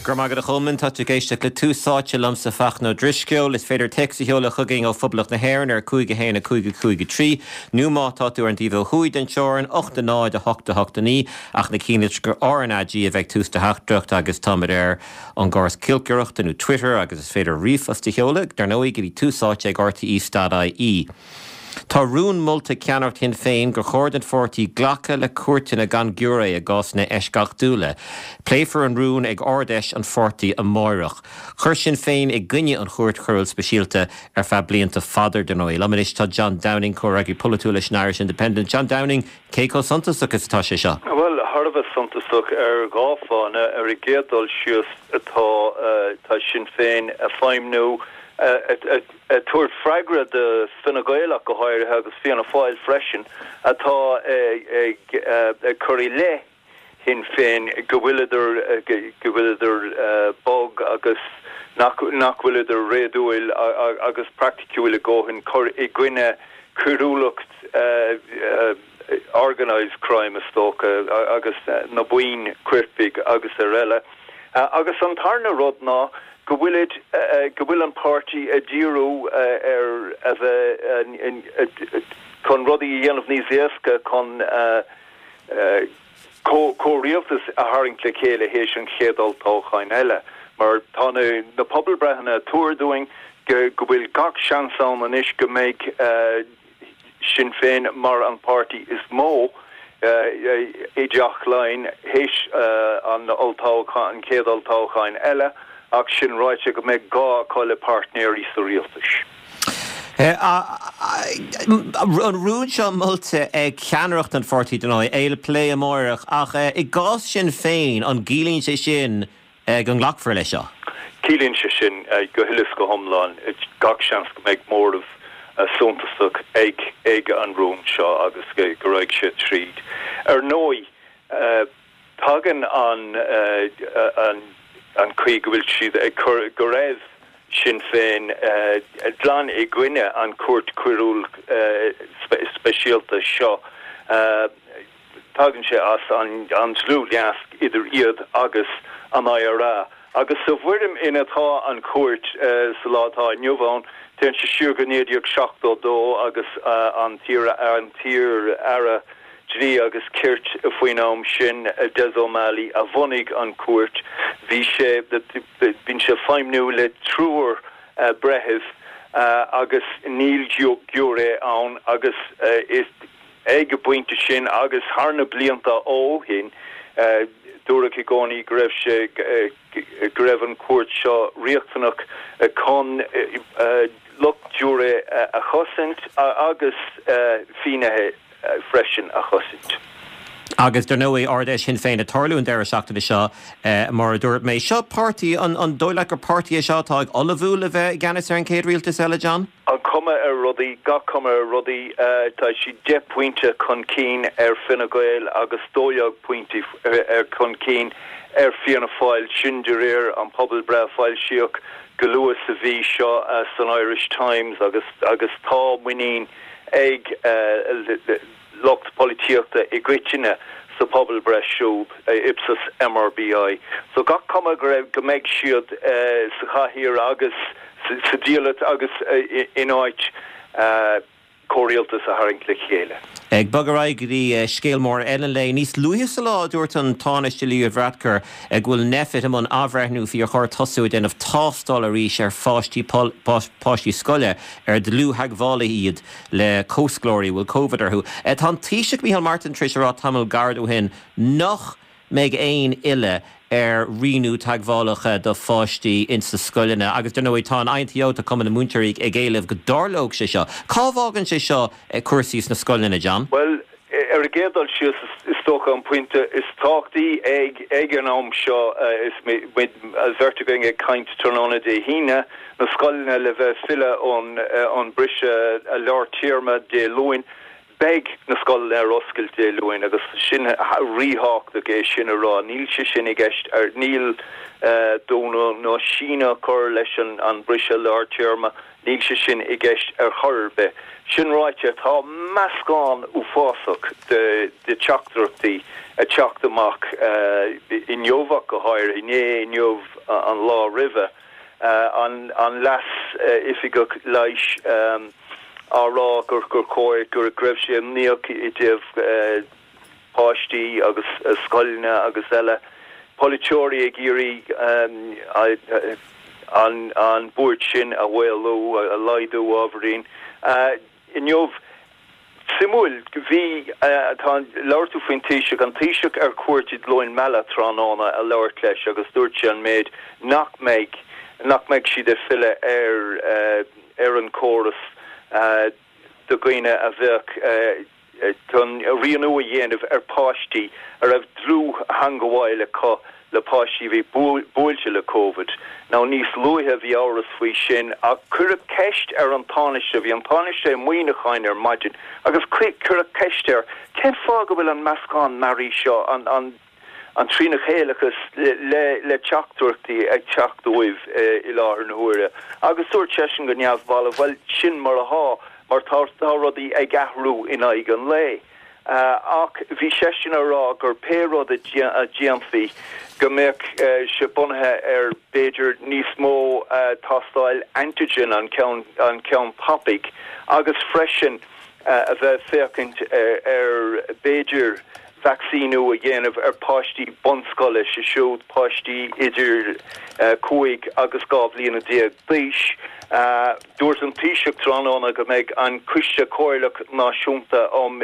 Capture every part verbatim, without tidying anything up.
Go raibh maith agat a Cholmáin tá tú ag éisteacht le Tús Áite liomsa Fachtna Ó Drisceoil, is féidir téacs a sheoladh chugainn ó Phoblacht na hÉireann ar cúig a haon a cúig a cúig a trí, nó má tá tú ar an taobh ó thuaidh den teorainn ocht a náid a hocht a hocht a naoi ach na cinnte gur RnaG a bheidh tús do theachtaireacht agus táimid ar an gcóras cílcireachta nó Twitter agus is féidir ríomhphost a sheoladh dar ndóigh go dtí tús áite ag RTÉ.ie. Tá rún molta ceannaireacht Shinn Féin gur chóir don pháirtí glacadh le cuairteanna gan giúiré i gcásanna eisceachtúla. Pléifear an rún ag Ard-Fheis an pháirtí amárach. Chuir Sinn Féin i gcoinne an chúirt choiriúil speisialta ar feadh blianta fada dar ndóigh. Liom anois tá John Downing comhfhreagraí polaitiúil leis an Irish Independent. John Downing cé chomh suntasach is atá sé seo. Well thar a bheith suntasach ar dhá fháth ar an gcéad dul síos atá tá Sinn Féin ag feidhmiú tabhairt freagra do Fine Gael go háirithe agus Fianna Fáil freisin atá ag ag cur i leith Shinn Féin go bhfuileadar go bhfuileadar bog agus nach nach bhfuileadar réadúil agus praiticiúil i gcónaí cur i gcoinne coiriúlacht organized crime is dócha agus na buíon coirpigh agus araile. Agus an tarna rud ná go bhfuil go bhfuil an páirtí ag díriú ar a bheith chun rudaí a dhéanamh níos éasca chun comhrialtas a tharraingt le chéile théis an chéad olltoghcháin eile. Mar tá na, na pobalbhreitheanna ag tuar dúinn go go bhfuil gach seans ann anois go mbeidh uh, Sinn Féin mar an páirtí is mó i dTeach Laighean théis an olltoghchán an chéad olltoghcháin eile ach sin ráite go mbeidh gá acu le páirtnéirí sa rialtas. An rún seo molta ag ceannaireacht an pháirtí dar ndóigh é le plé amárach ach i gcás Sinn Féin an gciallaíonn sé sin go nglacfar leis seo. Ciallaíonn sé sin go huile is go hiomlán gach seans go mbeidh móramh suntasach ag ag an rún seo agus go rachaidh sé tríd. Ar ndóigh tagann an an an chaoi go bhfuil siad ag cur go raibh Sinn Féin glan i gcoinne an cúirt choiriúil speisialta seo tagann sé as an an dlúthnasc idir iad agus an IRA. Agus sa bhfoirm ina tá an chúirt sa lá atá inniu ann, téann sé siar go naoi déag seachtó dó agus an an t-iar-aire dlí agus cirt faoin am sin Des O'Malley a bhunaigh an chúirt bhí sé bíonn sé feidhmiú le triúr breitheamh agus níl giúiré ann agus is ag an bpointe sin agus thar na blianta ó shin dúradh i gcónaí go raibh sé go raibh an chúirt seo riachtanach chun lucht giúiré a chosaint agus finnéithe freisin a chosaint. Agus dar ndóigh Ard-Fheis Shinn Féin ag tarlú an deireadh seachtaine seo mar a dúirt mé. Seo páirtí an an dóigh leat gur páirtí é seo atá ag ullmhú le bheith i gceannas ar an chéad rialtas eile John? An cuma ar rudaí gach cuma ar rudaí tá sí deich pointe chun cinn ar Fine Gael agus dó dhéag pointe ar chun cinn ar Fianna Fáil sin de réir an pobalbhreith foilsíodh go luath sa mhí seo san Irish Times agus agus tá muinín ag lucht polaitíochta i gcoitinne sa pobalbhreith siúd Ipsos MRBI. So gach cuma go raibh go mbeidh siad sa chathaoir agus sa diallat agus in áit comhrialtas a tharraingt le chéile. Ag bogadh ar aghaidh go dtí scéal mór eile le níos luaithe sa lá dúirt an Tánaiste Leo Varadkar go bhfuil Nphet i mbun athbhreithniú faoi ar chóir tosú ag déanamh tástáil arís ar pháistí páistí scoile ar dlúth-theagmhálaithe iad le comhscoláirí bhfuil COVID orthu. Tá an Taoiseach Micheál Martin tar éis a rá tamall gairid ó shin nach mbeidh aon fhilleadh ar rianú teagmhálacha do pháistí insa scoileanna agus dar ndóigh tá an INTO tá Cumann na Múinteoirí ag éileamh go dtarlódh sé seo. Cá bhfágann sé seo cúrsaí sna scoileanna John? Well ar an gcéad dul síos is dócha an pointe is tábhachtaí ag ag an am seo is muid bheirt againn ag caint tráthnóna Dé hAoine na scoileanna le bheith filleadh ón an briseadh lár téarma Dé Luain. Beidh na scoileanna ar oscailt Dé Luain agus sin ríthábhachtach é sin a rá, níl sé sin i gceist ar níl dúnadh nó síneadh chur leis an an briseadh lár téarma Níl sé sin i gceist ar chor ar bith. Sin ráite, tá meascán uafásach de de teachtaireachtaí ag teacht amach inniu ach go háirithe, inné, inniu, an lá roimhe, an an leas-oifigeach leighis á rá gur gur chóir gur go raibh sé imníoch i dtaobh páistí agus scoileanna agus eile, polaiteoirí ag iarraidh an an buairt sin a mhaolú, a laghdú ábhairín. Inniu, suimiúil, bhí, tá, labhair tú faoin Taoiseach, an Taoiseach ar cuairt i gCluain Meala tráthnóna a labhairt leis agus dúirt sé an méid nach mbeidh, nach mbeidh siad ag filleadh ar ar an córas do dhaoine a bheadh chun rianú a dhéanamh ar pháistí a raibh dlúth-theangabháil acu le páistí a bhí buailte le Covid. Now níos luaithe bhí amhras faoi sin ach cuireadh ceist ar an Tánaiste, bhí an Tánaiste i Muineachán ar maidin agus cuireadh ceist air cén fáth go bhfuil an meascán mearaí seo, an, an, an trínachéileachas le, le teachtaireachtaí ag teacht uaibh i láthair na huaire. Agus dúirt seisean go neamhbhalbh, bhuel sin mar atá, mar tá, tá rudaí ag athrú in aghaidh an lae. Ach bhí seisean a rá gur pé rud a dhéanfaí go mbeadh sé bunaithe ar b'fhéidir níos mó tástáil antigen, an ceann an ceann tapaidh, agus freisin a bheith ag féachaint ar b'fhéidir vacsaíniú a dhéanamh ar páistí bunscoile, sé siúd páistí idir cúig agus dhá bhliana déag d'aois. Dúirt an Taoiseach tráthnóna go mbeidh an Coiste Comhairleach Náisiúnta um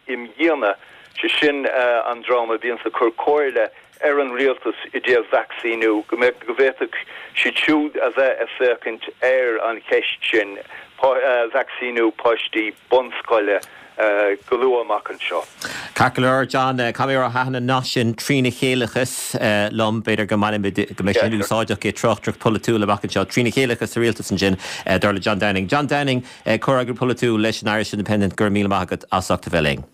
Imdhíonadh, sé sin an dream a bhíonns ag cur comhairle ar an rialtas i dtaobh vacsaíniú, go mbeadh, go bhféadfadh siad siúd a bheith ag féachaint ar an cheist sin, vacsaíniú páistí bunscoile. go luath amach anseo. Ceart go leor, John, caithfidh mé a rá thaitin an nath sin trínachéileachas liom, b'fhéidir go mbainfimid, go mbeidh sin úsáideach i dtráchtaireacht pholaitiúil amach anseo. Trínachéileachas sa rialtas ansin, dar le John Downing. John Downing, comhfhreagraí polaitiúil leis an Irish Independent, go raibh míle maith agat as ucht a bheith linn.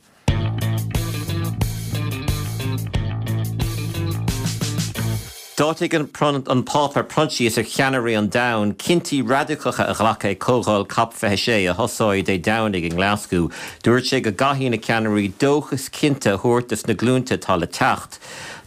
D'áitigh an Pápa Proinsias ar cheannairí an domhain cinntí radacacha a ghlacadh ag Comhdháil Cop fiche sé a thosóidh Dé Domhnaigh i nGlaschú. Dúirt sé go gcaithfidh na ceannairí dóchas cinnte a thabhairt dos na glúnta atá le teacht.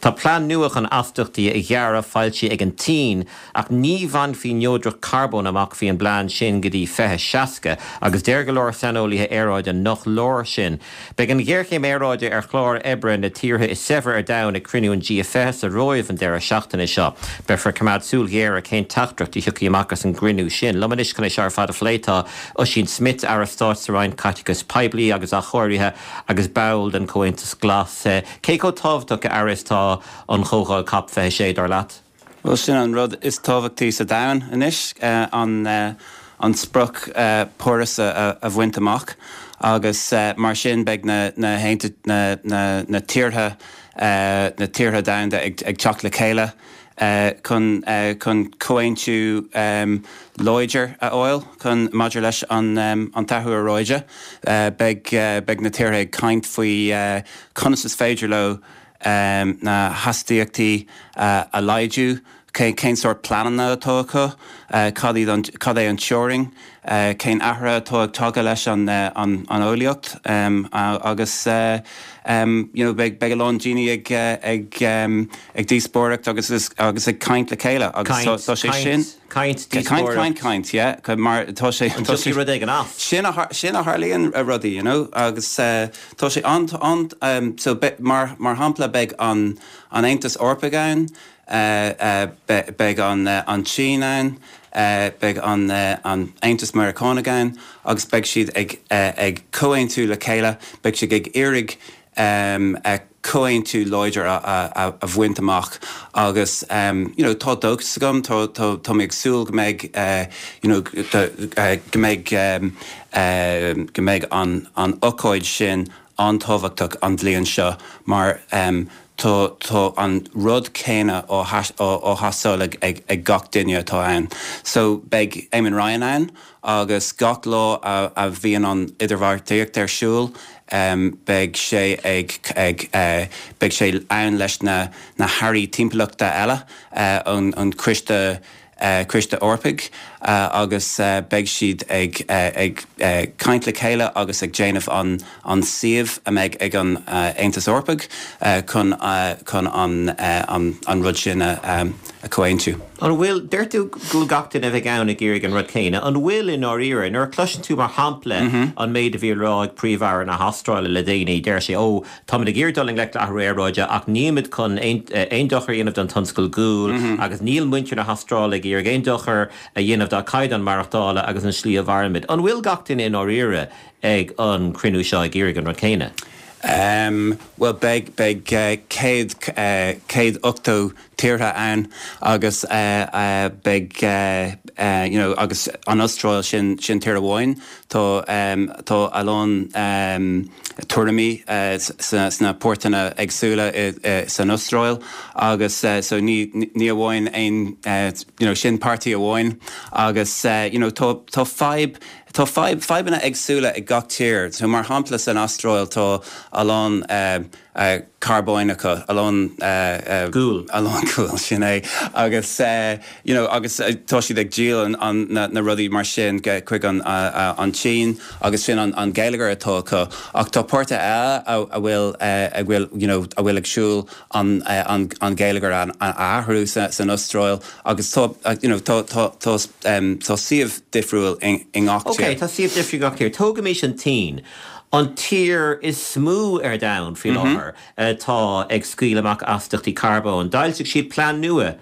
Tá plean nua chun astaíochtaí a ghearradh foilsithe ag an tSín ach ní bhainfí neodracht carbóin amach faoin bplean sin go dtí fiche seasca agus deir go leor saineolaithe aeráide nach leor sin. Beidh an ghéarchéim aeráide ar chlár oibre na tíortha is saibhre ar domhan ag cruinniú an G fiche sa Róimh an deireadh seachtaine seo. Beifear ag coimeád súil ghéar ar cén teachtaireacht a thiocfaidh amach as an gcruinniú sin. Liom anois chun é seo ar fad a phlé tá Oisín Smith, Aire Stáit sa Roinn Caiteachais Poiblí agus Athchóirithe agus ball den Chomhaontas Glas. Cé chomh tábhachtach, a Aire, is tá an chomhdháil Cop fiche sé, dar leat? Bhuel, sin an rud is tábhachtaí sa domhan anois, an an sprioc Páras a bhaint amach agus mar sin beidh na na na na na tíortha na tíortha domhanda ag ag teacht le chéile chun chun comhaontú láidir a fháil chun maidir leis an an t-athrú aeráide. Beidh beidh na tíortha ag caint faoi conas is féidir leo na hastaíochtaí a laghdú, cén sórt pleananna atá acu, cad iad an, cad é an teorainn, cén athruithe atá ag tagadh leis an an eolaíocht agus you know beidh beidh a lán daoine ag ag ag díospóireacht agus agus ag caint le chéile agus tá tá sé sin Caint, caint, díospóireacht. caint, caint, yeah, mar tá sé An tá dtiocfaidh sé rud éigin as? sin a sin a tharlaíonn rudaí, you know, agus tá sé an an so mar mar shampla beidh an an Aontas Eorpaigh ann, beidh an an tSín ann, beidh an an Aontas Meiriceánach ann agus beidh siad ag ag comhaontú le chéile, beidh siad ag iarraidh comhaontú láidir a a bhaint amach agus you know tá dóchas agam, tá tá tá mé ag súil go mbeidh you know go mbeidh go mbeidh an an ócáid sin an-tábhachtach an bhliain seo mar tá tá an rud céanna á á theastáil ag ag ag gach duine atá ann. So beidh Eamon Ryan ann agus gach lá a a bhíonn an idirbheartaíocht ar siúl beidh sé ag ag beidh sé ann leis na na hairí timpeallachta eile ón an coiste Coiste Eorpaigh agus beidh siad ag ag caint le chéile agus ag déanamh an an suíomh a mbeidh ag an Aontas Eorpaigh chun chun an an an rud sin a a chomhaontú. An bhfuil deir tú go bhfuil gach duine a bheidh ann ag iarraidh an rud céanna, an bhfuil i ndáiríre nuair a chloiseann tú mar shampla an méid a bhí rá ag Príomh-Aire na hAstráile le déanaí deir sé ó táimid ag iarraidh dul i ngleic le athrú aeráide ach nílimid chun aon dochar a dhéanamh don tionscal guail agus níl muintir na hAstráile ag iarraidh aon dochar a dhéanamh dá caighdeán maireachtála agus an slí a mhairimid. An bhfuil gach duine i ndáiríre ag an cruinniú seo ag iarraidh an rud céanna? Um, well beidh beidh uh, céad uh, céad ochtó tíortha ann agus uh, uh, beidh uh, uh, you know, agus an Astráil sin sin tír amháin tá um, tá a lán um, tuairimí uh, sna páirtithe éagsúla uh, san Astráil agus uh, so ní ní amháin aon uh, you know, sin páirtí amháin agus uh, you know, tá tá fadhb Tá fadhbanna éagsúla ag gach tír, so mar shampla san Astráil tá a lán uh, uh, carbóin acu a lán uh, uh, Gual a lán gual sin é agus uh, you know, agus uh, tá siad ag díol an, an, na, na rudaí mar sin chuig an, uh, uh, an tSín agus sin an, an geilleagar atá acu ach tá páirtithe eile a, a bhfuil uh, a bhfuil you know, a bhfuil ag siúl an, uh, an, an geilleagar an, an athrú sa, san Astráil agus tá uh, you know, tá, tá, tá, um, tá suíomh difriúil in, in gach Ok, tá suíomh difriúil gach tír. Tógaimis an tSín. An tír is mó ar domhan faoi láthair atá ag scaoileadh amach astaíochtaí carbóin. D'fhoilsigh siad plean nua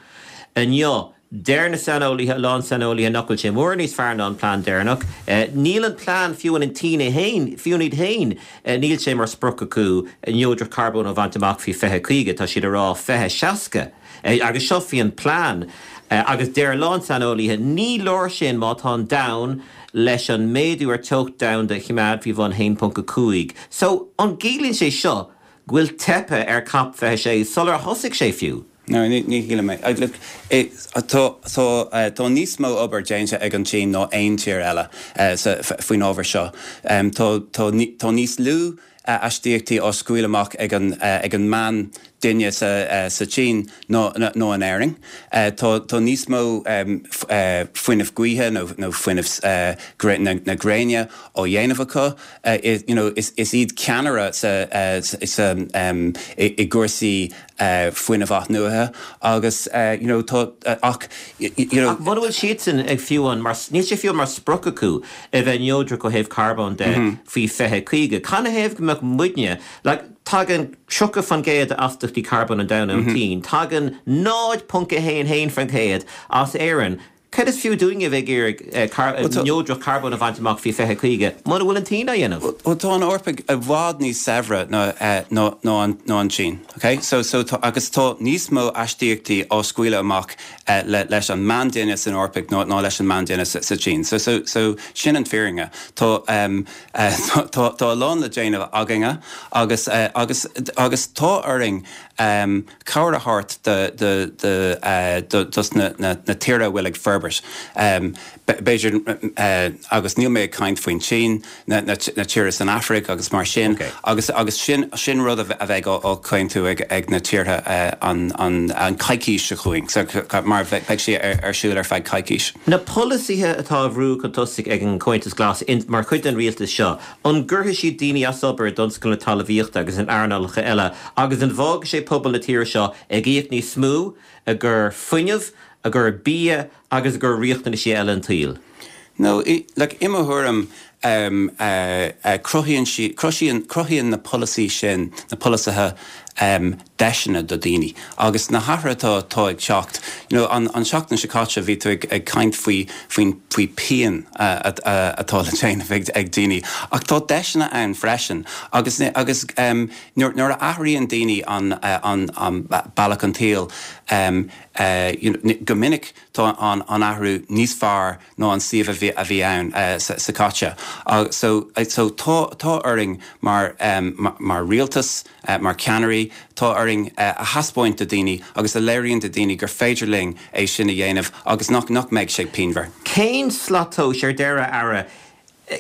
inniu Deir na saineolaithe lán saineolaithe nach bhfuil sé mór níos fearr ná an plean deireanach. Níl an plean fiú an tSín féin fiú iad féin níl sé mar sprioc acu neodracht carbóin a bhaint amach faoi fiche caoga tá siad ag rá fiche seasca. agus seo faoi an plean agus deir lán saineolaithe ní leor sin má tá an domhan leis an méadú ar teocht domhanda a choimeád faoi bhun haon ponc a cúig. So an gciallaíonn sé seo go bhfuil teipthe ar COP fiche sé sular thosaigh sé fiú. No, ní ní mé tá níos mó obair déanta ag an tSín ná aon tír eile faoin ábhar seo. Tá níos lú astaíochtaí á scaoileadh amach ag an ag an meánduine sa sa tSín ná ná in Éirinn. Tá níos mó fuinneamh gaoithe nó nó fuinneamh na gréine á dhéanamh acu is is iad ceannaire sa sa i gcúrsaí fuinneamh athnuaithe agus you know tá ach you know Mura bhfuil siadsan ag fiú an mar níl sé fiú mar sprioc acu a bheith neodrach ó thaobh carbóin de faoi fiche caoga. Canathaobh go mbeadh muidne le tagann tríocha faoin gcéad astaíochtaí carbóin an domhain ón tSín, tagann náid ponc a haon haon faoin gcéad as Éirinn. Cad is fiú dúinne bheith ag neodracht carbóin a bhaint amach faoi fiche caoga, mura bhfuil an tSín á dhéanamh. Well tá an Eoraip i bhfad níos saibhre ná ná an tSín. Okay? So, so tá, agus tá níos mó astaíochtaí á scaoileadh amach uh, le, leis an meánduine san Eoraip ná, ná leis an meánduine sa, sa tSín. So, so, so sin an fírinne. Tá, um, uh, tá, tá a lán le déanamh againne agus, uh, agus, agus tá orainn um, cabhair a thabhairt de, de, de, uh, de, dos na, na, na tíortha bhfuil ag forbairt. Um, B'fhéidir uh, agus níl mé ag caint faoin tSín na, na, na tíortha san Afraic agus mar sin okay. agus agus sin sin rud a bheidh á chaontú ag, ag na tíortha uh, an, an, an coicís seo chugainn, so, mar beidh sé ar, ar siúl ar feadh coicís. Na polasaithe atá á mbrú chun tosaigh ag an Comhaontas Glas in, mar chuid den rialtas seo, an gcuirfidh siad daoine as obair i dtionscal na talmhaíochta agus in earnálacha eile, agus an bhfágfaidh sé pobal na tíre seo ag íoc níos mó i gcomhair fuinneamh, i gcomhair bia agus i gcomhair riachtanaisí eile an tsaoil. No, i, like, i mo thuairim um, uh, uh, cruthaíonn sí cruthaíonn cruthaíonn na polasaí sin na polasaithe um, deiseanna do daoine. Agus na hathruithe atá ag teacht you know, an, an seachtain seo caite bhí tú ag, ag caint faoi faoin faoi pian uh, uh, atá le déanamh ag, ag daoine. Ach tá deiseanna ann freisin agus agus um, nuair, nuair a athraíonn daoine an, uh, an, an bealach an tsaoil um, uh, you know, go minic tá an, an athrú níos fearr ná an suíomh a bhí, a bhí ann uh, sa, sa caite. Uh, so, so tá, tá orainn mar, um, mar, mar rialtas, uh, mar ceannairí, tá orainn uh, a thaispeáint do daoine agus a léiríonn do daoine gur féidir linn é sin a dhéanamh agus nach nach mbeidh sé pianmhar. Cén slat tomhais ar deireadh Aire,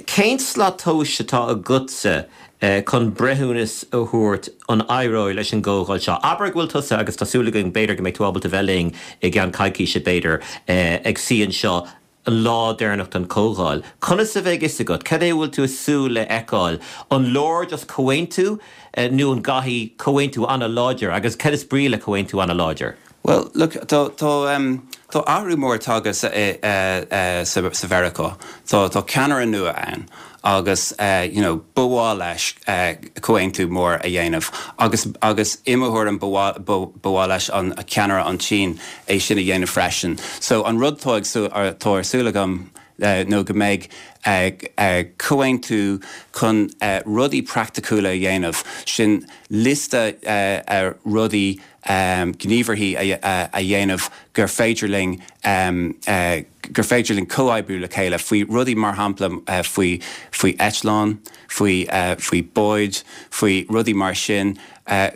cén slat tomhais atá agatsa chun breithiúnas a thabhairt an éireoidh leis an gcomhdháil seo. Abair go bhfuil tusa agus tá súil againn b'fhéidir go mbeidh tú ábalta bheith linn i gceann coicíse b'fhéidir ag suí anseo an lá deireanach den chomhdháil. Conas a bheidh fhios agat, cad é a bhfuil tú ag súil le feiceáil? An leor just comhaontú nó an gcaithfidh comhaontú an-láidir agus cad is brí le comhaontú an-láidir? Well, look, tá tá um, tá athrú mór tagtha sa, uh, sa, sa Mheiriceá. Tá tá ceannaire nua ann agus uh, you know, ba mhaith leis uh, comhaontú mór a dhéanamh agus agus i mo thuairim ba mhaith leis an ceannaire an tSín é sin a dhéanamh freisin. So an rud tá tá ar súil agam uh, nó go mbeidh uh, uh, comhaontú chun uh, rudaí praiticiúla a dhéanamh sin liosta uh, uh, rudaí um, gníomhartha a, a, a dhéanamh gur féidir linn um, uh, gur féidir linn comhoibriú le chéile faoi rudaí mar shampla uh, faoi faoi eitleán, faoi uh, faoi báid, faoi rudaí mar sin uh,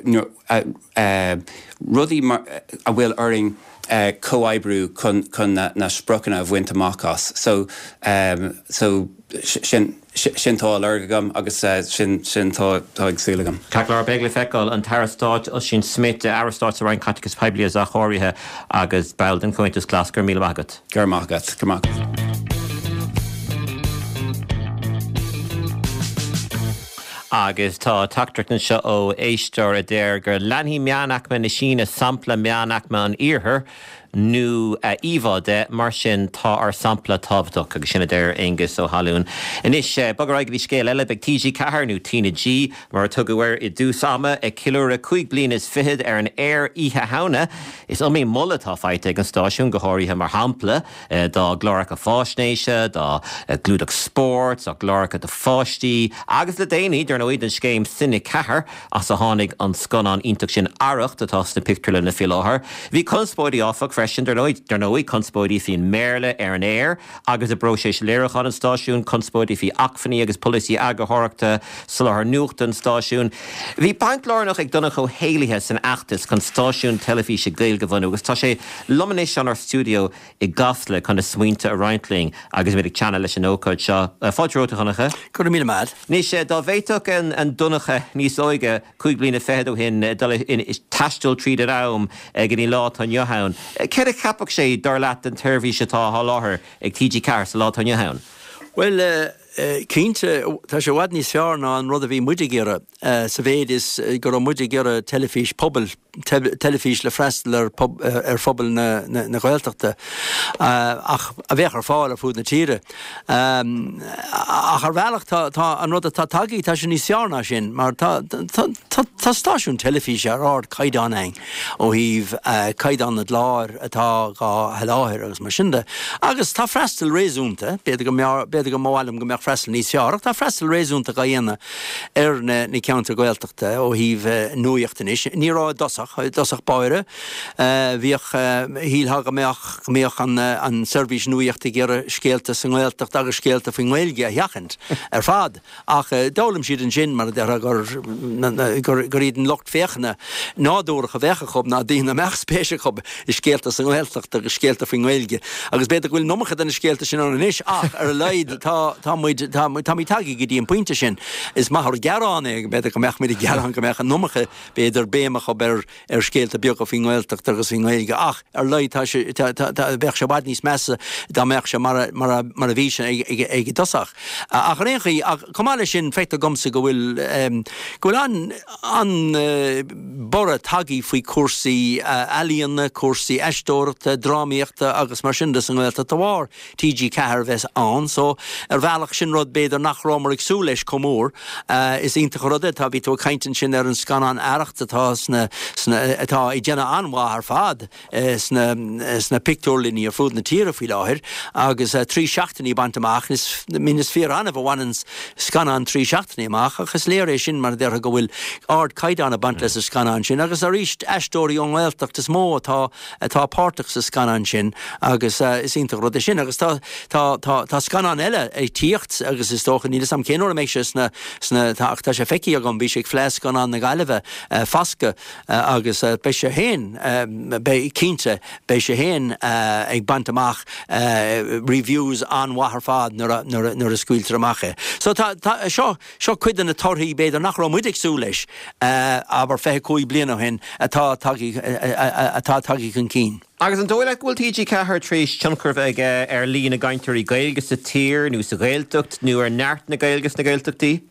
uh, uh, rudaí mar, a bhfuil orainn uh, comhoibriú chun chun na, na spriocanna a bhaint amach as. So um, so sin sin tá lorg agam agus uh, sin sin tá ag súil agam. Ceart beidh le feiceáil an tAire Stáit Ossian Smyth Aire Stáit sa Roinn Caiteachais Poiblí as áirithe agus ball den Chomhaontas Glas go raibh míle maith agat. Gur magat go maith. Agus tá teachtaireacht anseo ó éisteoir a deir gur leanfaidh meánaicme na Síne sampla meánaicme an iarthair nó íomhá de mar sin tá ár sampla tábhachtach agus sin a deir Aengus Ó hAlún. Anois bog ar aghaidh go dtí scéal eile beidh TG Ceathair nó T na G mar a tugadh air i dtús ama ag ceiliúradh cúig bliana is fichead ar an aer Oíche Shamhna. Is iomaí moladh atá faighte ag an stáisiún go háirithe mar shampla dá gcláracha faisnéise, dá gclúdach spóirt, dá gcláracha do pháistí, agus le déanaí dar ndóigh don scéim Cine Ceathair as a tháinig an scannán iontach sin Arracht atá sna pictiúrlanna faoi láthair. Bhí conspóidí áfach freisin dar ndóigh conspóidí faoin mBéarla ar an aer agus i bpróiseas léiriúcháin an stáisiúin, conspóidí faoi acmhainní agus polasaí eagarthóireachta soláthar nuachta an stáisiúin. Bhí baint lárnach ag Donncha Ó hÉallaithe san fheachtas chun stáisiún teilifíse Gaeilge a bhunú agus tá sé liom anois inár stiúideo i gCasla chun a smaointe a roinnt linn agus muid ag teannadh leis an ócáid seo. Fáilte romhat a Dhonncha. Go raibh míle maith. Anois dá bhféadfadh an Donncha níos óige cúig bliana fichead ó shin dul taisteal tríd an am go dtí an lá atá inniu ann. Céard a cheapfadh sé dar leat den tseirbhís atá á sholáthar ag TG Ceathair sa lá atá inniu ann? Well, cinnte tá sé i bhfad níos fearr ná an rud a bhí muid ag iarraidh sa mhéid is go raibh muid ag iarraidh teilifís pobail, teilifís le freastal ar ar phobal na na Gaeltachta ach a bheadh ar fáil ar fud na tíre. Ach ar bhealach tá tá an rud atá tagtha tá sé níos fearr ná sin mar tá tá tá stáisiún teilifíse ar ardchaighdeán ann ó thaobh caighdeán na gclár atá á sholáthar agus mar sin de. Agus tá freastal réasúnta, b'fhéidir go b'fhéidir go mba mhaith liom go mbeadh freastal níos fearr ach tá freastal réasúnta á dhéanamh ar na na ceantair Ghaeltachta ó thaobh nuaíocht anois. Ní raibh i dtosach, i dtosach báire bhíodh shílfeá go mbeadh go mbeadh an an seirbhís nuaíochta ag iarraidh scéalta sa nGaeltacht agus scéalta faoin nGaeilge a sheachaint ar fad. Ach d'fhoghlaim siad ansin mar a déarfá gur gur gur iad an lucht féachana nádúrach a bheadh acu ná daoine a mbeadh spéis acu i scéalta sa nGaeltacht agus scéalta faoin nGaeilge. Agus b'fhéidir go bhfuil an iomarca de na scéalta sin ann anois ach ar a laghad tá tá muid tá táimid tagtha go dtí an pointe sin. Is maith ár gearán é b'fhéidir go mbeadh muid ag gearán go mbeadh an iomarca b'fhéidir béim acu ar ar scéalta beaga faoin nGaeltacht agus faoin nGaeilge ach ar a laghad tá sé tá tá tá bheadh sé i bhfad níos measa dá mbeadh sé mar a mar a mar a bhí sé ag ag ag i dtosach. Ach ar aon chaoi ach chomh maith leis sin feictear domsa go bhfuil go bhfuil an an borradh tagtha faoi chúrsaí ealaíona, cúrsaí aisteoireachta, drámaíochta agus mar sin de sa nGaeltacht de bharr TG Ceathair a bheith ann so ar bhealach sin rud b'fhéidir nach rabhamar ag súil leis chomh mór. Is iontach an rud é tá bhí tú ag caint ansin ar an scannán Arracht atá sna sna atá ag déanamh an-mhaith ar fad sna sna pictiúrlanna ar fud na tíre faoi láthair agus trí seachtainí bainte amach is min is fíor-annamh a bhaineann scannán trí seachtainí amach ach is léir é sin mar a déarfá go bhfuil ardchaighdeán ag baint leis an scannán sin agus arís aisteoirí ón nGaeltacht is mó atá atá páirteach sa scannán sin agus is iontach rud é sin agus tá tá tá tá scannán eile ag tíocht teacht agus is dócha níl a fhios agam cén uair a mbeidh sé sna sna tá ach tá sé feicthe agam bhí sé ag Fleadh Scannán na Gaillimhe Fasca agus beidh sé féin beidh cinnte beidh sé féin ag baint amach reviews an-mhaith ar fad nuair a nuair a nuair a scaoiltear amach é. So tá tá seo seo cuid de na torthaí b'fhéidir nach raibh muid ag súil leis abair fiche cúig bliana ó shin atá tagtha atá tagtha chun cinn. Agus an dóigh leat go bhfuil T G ceathair tar éis tionchar a bheith aige ar líon na gcainteoirí Gaeilge sa tír nó sa Ghaeltacht nó ar neart na Gaeilge sna Gaeltachtaí?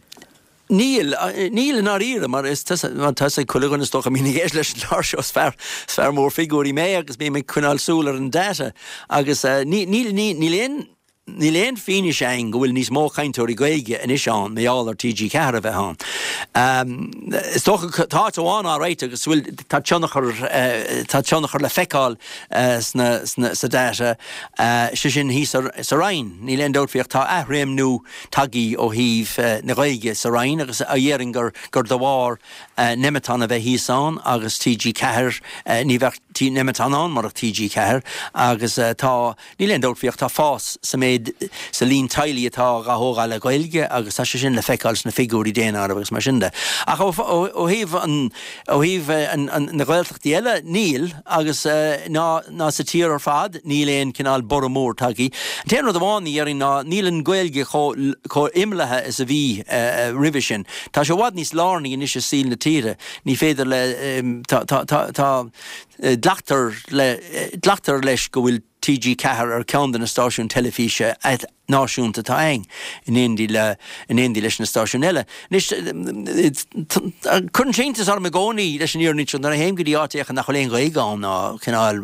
Níl, níl i ndáiríre, mar is tá a fhios ag chuile dhuine is dócha a bhíonn ag éisteacht leis an gclár seo, is fear, is fear mór figiúirí mé agus bím ag coinneáil súil ar an data agus níl, níl, níl aon, níl aon fianaise againn go bhfuil níos mó cainteoirí Gaeilge anois ann mar gheall ar T G ceathair a bheith ann. Is dócha tá áit amháin alright agus bhfuil tá tionchar tá tionchar le feiceáil sna sna sa data sé sin thíos sa Rinn. Níl aon dabht faoi ach tá athréimniú tagtha ó thaobh na Gaeilge sa Rinn agus déarfainn gur gur de bharr Nemeton a bheith thíos ann agus T G ceathair ní bheadh Nemeton ann murach T G ceathair agus tá Níl aon dabht faoi ach tá fás sa méid, sa líon teaghlaigh atá dhá thógáil le Gaeilge agus tá sé sin le feiceáil sna figiúirí daonáirimh agus mar sin de. Ach ó thaobh an, ó thaobh na Gaeltachtaí eile, níl agus ná, ná sa tír ar fad, níl aon cineál borradh mór tagtha. An t-aon rud amháin a dhéarfainn ná níl an Ghaeilge chomh, chomh imeallaithe is a bhí roimhe sin. Tá sé i bhfad níos lárnaí anois i saol na tíre. Ní féidir le, tá, tá, tá, tá, glactar le, glactar leis go bhfuil T G ceathair ar cheann de na stáisiúin teilifíse náisiúnta atá againn, in éindí le, in éindí leis na stáisiúin eile. Anois, cuireann sé iontas orm i gcónaí, leis an fhírinne seo, nuair a théim go dtí áit éicint nach bhfuil aon Ghaeilge ann ná cineál,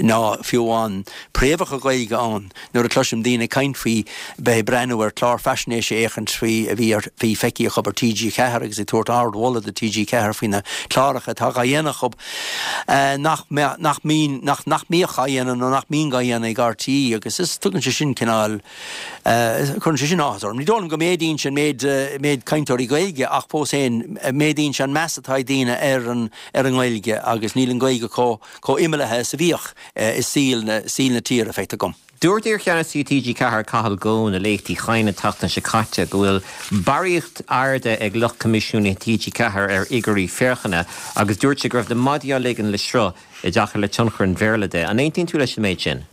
ná fiú amháin préamhacha Gaeilge ann, nuair a chloisim daoine ag caint faoi bheith ag breathnú ar chlár faisnéise éicint faoi a bhí ar, bhí feicthe acu ar T G ceathair agus ag tabhairt ardmholadh do T G ceathair faoi na cláracha atá dhá dhéanamh acu nach mbeadh, nach mbíonn, nach, nach mbíodh á dhéanamh nó nach mbíonn á dhéanamh ag R T E agus is tugann sé sin cineál, cuireann sé sin áthas orm. Ní dóigh liom go méadaíonn sé an méid, méid cainteoirí Gaeilge ach fós féin méadaíonn sé an meas atá ag daoine ar an, ar an nGaeilge agus níl an Ghaeilge chomh, chomh imeallaithe is a bhíodh i saol na, saol na tíre, feictear dom. Dúirt iarcheannasaí T G ceathair Cathal Goan i Léacht Uí Chadhain an tseachtain seo caite go bhfuil barraíocht airde ag lucht coimisiúnaithe T G ceathair ar fhigiúirí féachana agus dúirt sé go raibh na maidí á ligean le sruth i dtaca le tionchar an Bhéarla de. An aontaíonn tú leis an méid sin?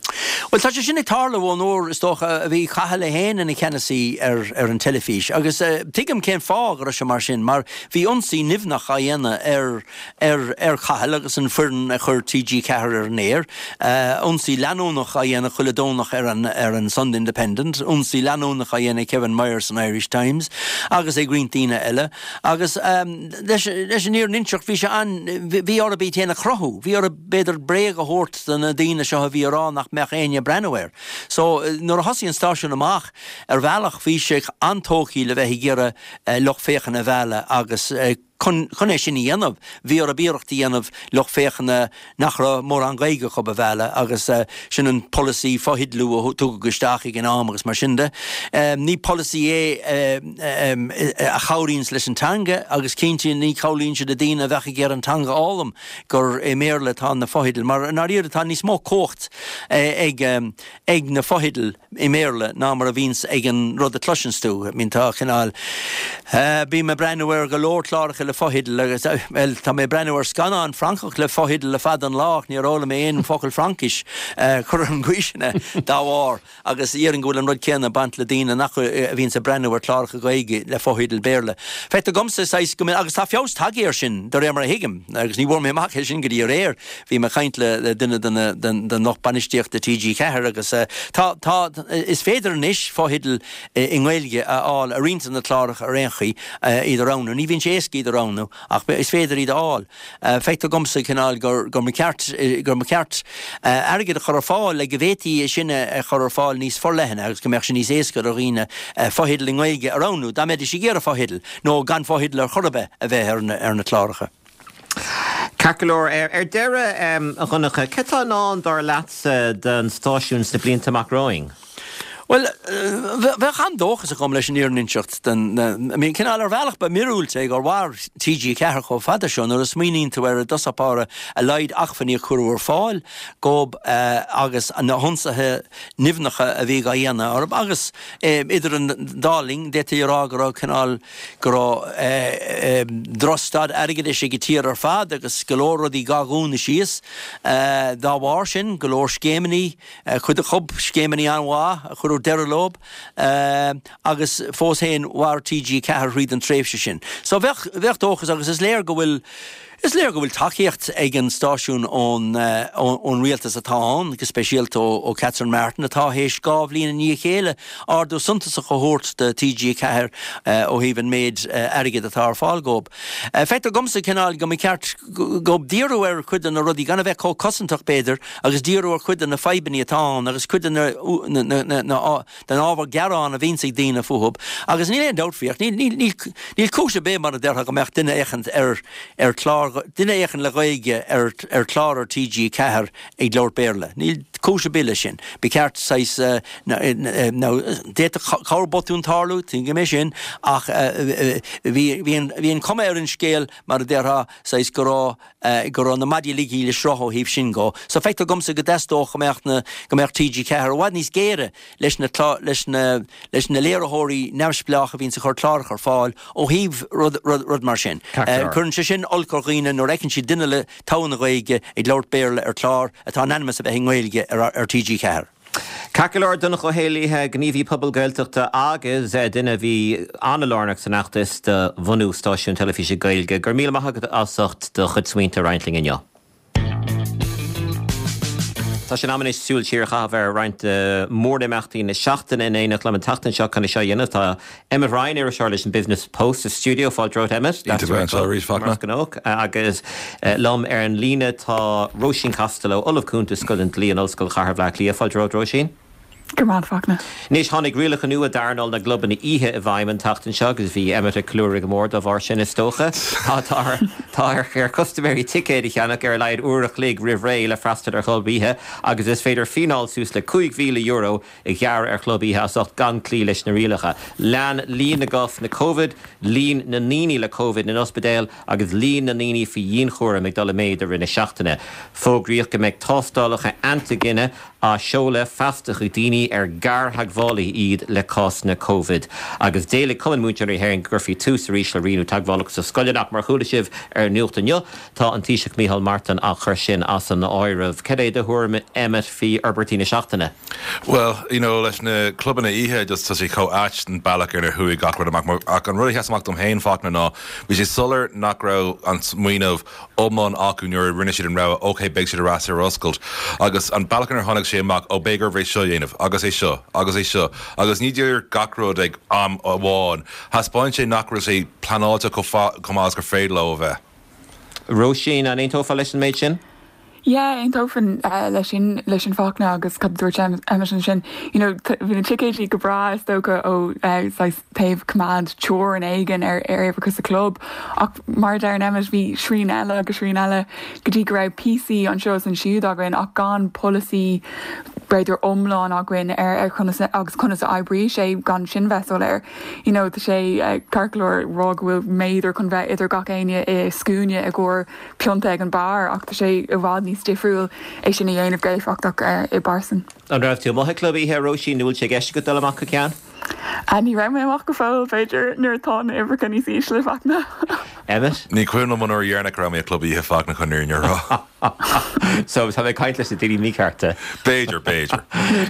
Bhuel, tá sé sin ag tarlú ón uair, is dócha, a bhí Cathal é féin ina cheannasaí ar ar an teilifís agus tuigim cén fáth go raibh sé mar sin, mar bhí ionsaí nimhneach á dhéanamh ar ar ar Chathal agus an foireann a chuir T G ceathair ar an aer, ionsaí leanúnach á dhéanamh chuile Domhnach ar an ar an Sunday Independent, ionsaí leanúnach á dhéanamh ag Kevin Myers san Irish Times agus ag roinnt daoine eile agus leis leis an fhírinne a inseacht bhí sé an bhí orthu iad féin a chruthú, bhí orthu b'fhéidir bréag a thabhairt do na daoine seo a bhí ag rá nach mbeadh éinne ag breathnú air. So nuair a thosaigh an stáisiún amach, ar bhealach bhí sé an-tógtha le bheith ag iarraidh lucht féachana a mhealladh agus chun chun é sin a dhéanamh bhí orthu iarracht a dhéanamh lucht féachana nach raibh mórán Gaeilge acu a mhealladh agus sin an polasaí fotheidealú a tugadh isteach ag an am agus mar sin de. Ní polasaí é a chabhraíonns leis an teanga agus cinnte ní chabhraíonn sé le daoine a bheadh ag iarraidh an teanga a fhoghlaim gur i mBéarla atá na fotheidil mar i ndáiríre tá níos mó cumhacht ag ag na fotheidil i mBéarla ná mar a bhíonns ag an rud a chloiseanns tú. I mean tá cineál bím ag breathnú ar go leor cláracha le fotheidil agus bhuel tá mé ag breathnú ar scannán Francach le fotheidil le fada an lá ach níor fhoghlaim mé aon focal Fraincis chor ar an gcaoi sin dá bharr agus déarfainn go bhfuil an rud céanna ag baint le daoine nach a bhíonns ag breathnú ar chláracha Gaeilge le fotheidil Béarla. Feictear dhomsa saghas go agus tá feabhas tagtha air sin de réir mar a thuigim agus ní bhfuair mé amach é sin go dtí aréir. Bhí mé ag caint le le duine de na den den lucht bainistíochta T G ceathair agus tá tá is féidir anois fotheidil i nGaeilge a fháil ar roinnt de na cláracha ar aon chaoi iad a roghnú. Ní bhíonn sé éasca iad a roghnú ach is féidir iad a fháil. Feictear dhomsa cineál gur gur mba cheart gur mba cheart airgead a chur ar fáil le go bhféadfaí é sin a chur ar fáil níos forleithne agus go mbeadh sé níos éasca do dhaoine fotheidil i nGaeilge a roghnú dá mbeidís ag iarraidh fotheidil nó gan fotheidil ar chor ar bith a bheith ar na ar na cláracha. Ceart go leor. Ar deireadh, a Dhonncha, cad tá i ndán, dar leatsa, don stáisiún sna blianta amach romhainn? Bhuel, bheadh an-dóchas agam leis an fhírinne a inseacht den, I mean, cineál ar bhealach ba mhíorúilt é gur mhair TG Ceathair chomh fada seo nuair a smaoiníonn tú ar i dtosach báire a laghad acmhainní a cuireadh ar fáil dóibh agus na hionsaithe nimhneacha a bhí á dhéanamh orthu agus idir an dá linn d'fhéadfaí a rá go raibh cineál go raibh drochstaid airgeadais ag an tír ar fad agus go leor rudaí dhá dhúnadh síos dá bharr sin, go leor scéimeanna, cuid acu scéimeanna an-mhaith a cuireadh deireadh leo agus fós féin mhair TG Ceathair thríd an tréimhse sin. So bheadh, bheadh dóchas agus is léir go bhfuil, is léir go bhfuil tacaíocht ag an stáisiún ón, ón rialtas atá ann, go speisialta ó, ó Catherine Martin atá théis dhá bhliain i ndiaidh a chéile ardú suntasach a thabhairt do TG Ceathair ó thaobh an méid airgid atá ar fáil dhóibh. Feictear dhomsa cineál go mba cheart dhóibh díriú ar chuid de na rudaí, gan a bheith chomh cosantach b'fhéidir, agus díriú ar chuid de na fadhbanna atá ann agus cuid de na, na, na, na, den ábhar gearán a bhíonns ag daoine fúthu. Agus níl aon dabht faoi ach níl, níl, níl, níl cúis ar bith mar a déarfá go mbeadh duine éicint ar, ar chlár, duine éicint le Gaeilge ar, ar chlár ar TG Ceathair ag labhairt Béarla. Níl cúis ar bith leis sin. Ba cheart saghas, nó, d'fhéadfadh corrbhotún tarlú, tuigim é sin, ach bhí, bhí an, bhí an chuma ar an scéal mar a déarfá, saghas go raibh, go raibh na maidí ligthe le sruth ó thaobh sin dhó. So feictear dhomsa go dteastódh go mbeadh na, go mbeadh TG Ceathair i bhfad níos géire leis na, leis na, leis na léiritheoirí neamhspleácha a bhíonns ag cur cláracha ar fáil ó thaobh rud, rud, rud mar sin. Cuireann sé sin olc ar dhaoine nuair a fheiceann siad duine le togha na Gaeilge ag labhairt Béarla ar chlár atá in ainm is a bheith i nGaeilge ar, ar TG Ceathair. Ceart go leor, Donncha Ó hÉallaithe, gníomhaí pobail Gaeltachta agus duine a bhí an-lárnach san fheachtas do bhunú stáisiún teilifíse Gaeilge. Go raibh míle maith agat as ucht do chuid smaointe a roinnt linn inniu. Tá sé in am anois súil siar a chaitheamh ar roinnt de mhórimeachtaí na seachtaine. In éineacht liom an tseachtain seo chun é seo a dhéanamh tá Emmet Ryan, iriseoir leis an Business Post sa stiúideo. Fáilte romhat, Emmet. Iontach bheith anseo arís, Fachtna. Mar is gnách. Agus liom ar an líne tá Róisín Costello, Ollamh Cúnta Scoil an Dlí in Ollscoil Chathair Bhaile Átha Cliath. Fáilte romhat, Róisín. Go raibh maith agat, Fachtna. Anois, tháinig rialacha nua d'earnáil na gclubanna oíche i bhfeidhm an tseachtain seo agus bhí Emmet ag ceiliúradh go mór dá bharr sin, is dócha. Tá tá tá ar ar chustaiméirí ticéid a cheannach ar a laghad uair a chloig roimh ré le freastal ar chlub oíche agus is féidir fíneáil suas le cúig mhíle euro a ghearradh ar chlub oíche as ucht gan cloí leis na rialacha. Lean líon na gcásanna Covid, líon na ndaoine le Covid in ospidéil agus líon na ndaoine faoi dhianchúram ag dul i méad i rith na seachtaine. Fógraíodh go mbeidh tástálacha antaigine á seoladh feasta chuig daoine ar gartheagmhálaithe iad le cásanna Covid. Agus d'éiligh Cumann Múinteoirí na hÉireann go gcuirfí tús arís le rianú teagmhálacha sna scoileanna ach mar a chuala sibh ar an nuacht inniu, tá an Taoiseach Micheál Martin á chur sin as an áireamh. Cad é do thuairim, Emmet, faoi fhorbairtí na seachtaine? Well, you know, leis na clubanna oíche just tá sé chomh ait an bealach ar chuaigh gach rud amach ach an rud a sheas amach dom féin Fachtna ná bhí sé soiléir nach raibh an smaoineamh iomlán acu nuair a rinne siad an rogha ok beidh siad ar ais ar oscailt agus an bealach ar tháinig sé amach ó beidh oraibh é seo a dhéanamh agus é seo agus é seo agus ní díreach gach rud ag am amháin thaispeáin sé nach raibh sé pleanáilte chomh maith is gur féidir leo a bheith. Róisín, an aontófá leis an méid sin? Yeah, aontófainn uh, leis sin leis sin Fachtna agus cad dúirt Emmet sin you know, bhí na ticéidí go breá is dócha ó uh, taobh coimeád teorainn éigin ar ar uimhreacha sa club ach mar deir Emmet bhí srian eile agus srian eile go dtí go raibh píosaí anseo is ansiúd againn ach gan polasaí b'fhéidir iomlán againn ar ar conas agus conas a oibríonn sé gan sin bheith soiléir. You know, tá sé uh, ceart go leor rá go bhfuil méadar chun bheith idir gach éinne i scuaine i gcomhair pionta ag an bar ach tá sé i bhfad níos difriúil é sin a dhéanamh go héifeachtach uh, i bpearsan. An raibh tú amuigh ag club oíche Róisín nó bhfuil sé i gceist agat dul amach go ceann? Uh, ní raibh mé amach go fóill b'fhéidir nuair atá na huimhreacha níos ísle Fachtna. Emmet? Ní cuimhin liom an uair dheireanach go raibh mé ag club oíche Fachtna chun an fhírinne a rá. So tá mé ag caint leis na daoine míchearta. B'fhéidir, b'fhéidir.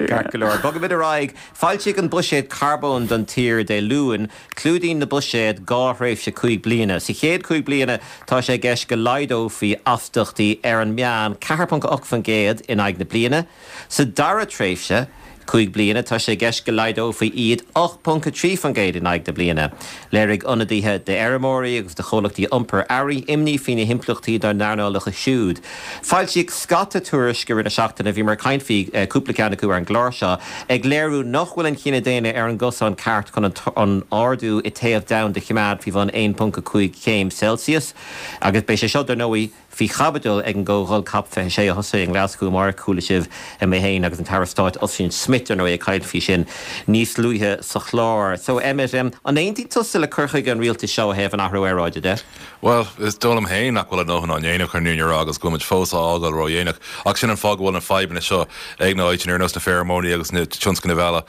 Ceart go leor. Bogaimid ar aghaidh. Foilsíodh an buiséad carbóin don tír Dé Luain, clúdaíonn na buiséad dhá thréimhse cúig bliana. Sa chéad cúig bliana tá sé i gceist go laghdófaí astaíochtaí ar an meán ceathair ponc ocht faoin gcéad in aghaidh na bliana. Sa dara tréimhse, cúig bliana tá sé i gceist go laghdófaí iad ocht ponc a trí faoin gcéad in aghaidh na bliana. Léirigh ionadaithe d'fheirmeoirí agus do chomhlachtaí iompair earraí imní faoi na himpleachtaí dá n-earnálacha siúd. Foilsíodh scata tuairisc i rith na seachtaine bhí mar caint faoi cúpla ceann acu ar an gclár seo, ag léiriú nach bhfuil an chine daonna ar an gcosán ceart chun an ardú i téamh domhanda a choimeád faoi bhun aon ponc a cúig chéim Celsius agus beidh sé seo dar ndóigh faoi chaibidil ag an gcomhdháil COP fiche sé a thosaigh i nGlaschú amárach. Chuala sibh mé féin agus an tAire Stáit Ossian Smyth Schmidt ar ndóigh ag caint faoi sin níos luaithe sa chlár. So Emmet, um, an aontaíonn tusa le cur chuige an rialtais seo ó thaobh an athrú aeráide de? Well, is dóigh liom féin nach bhfuil a ndóthain á ndéanamh chun an fhírinne a rá agus go bhfuil muid fós á fhágáil ródhéanach. Ach sin an fáth go bhfuil na fadhbanna seo ag na háiteanna ar nós na feirmeoirí agus na tionscnaimh eile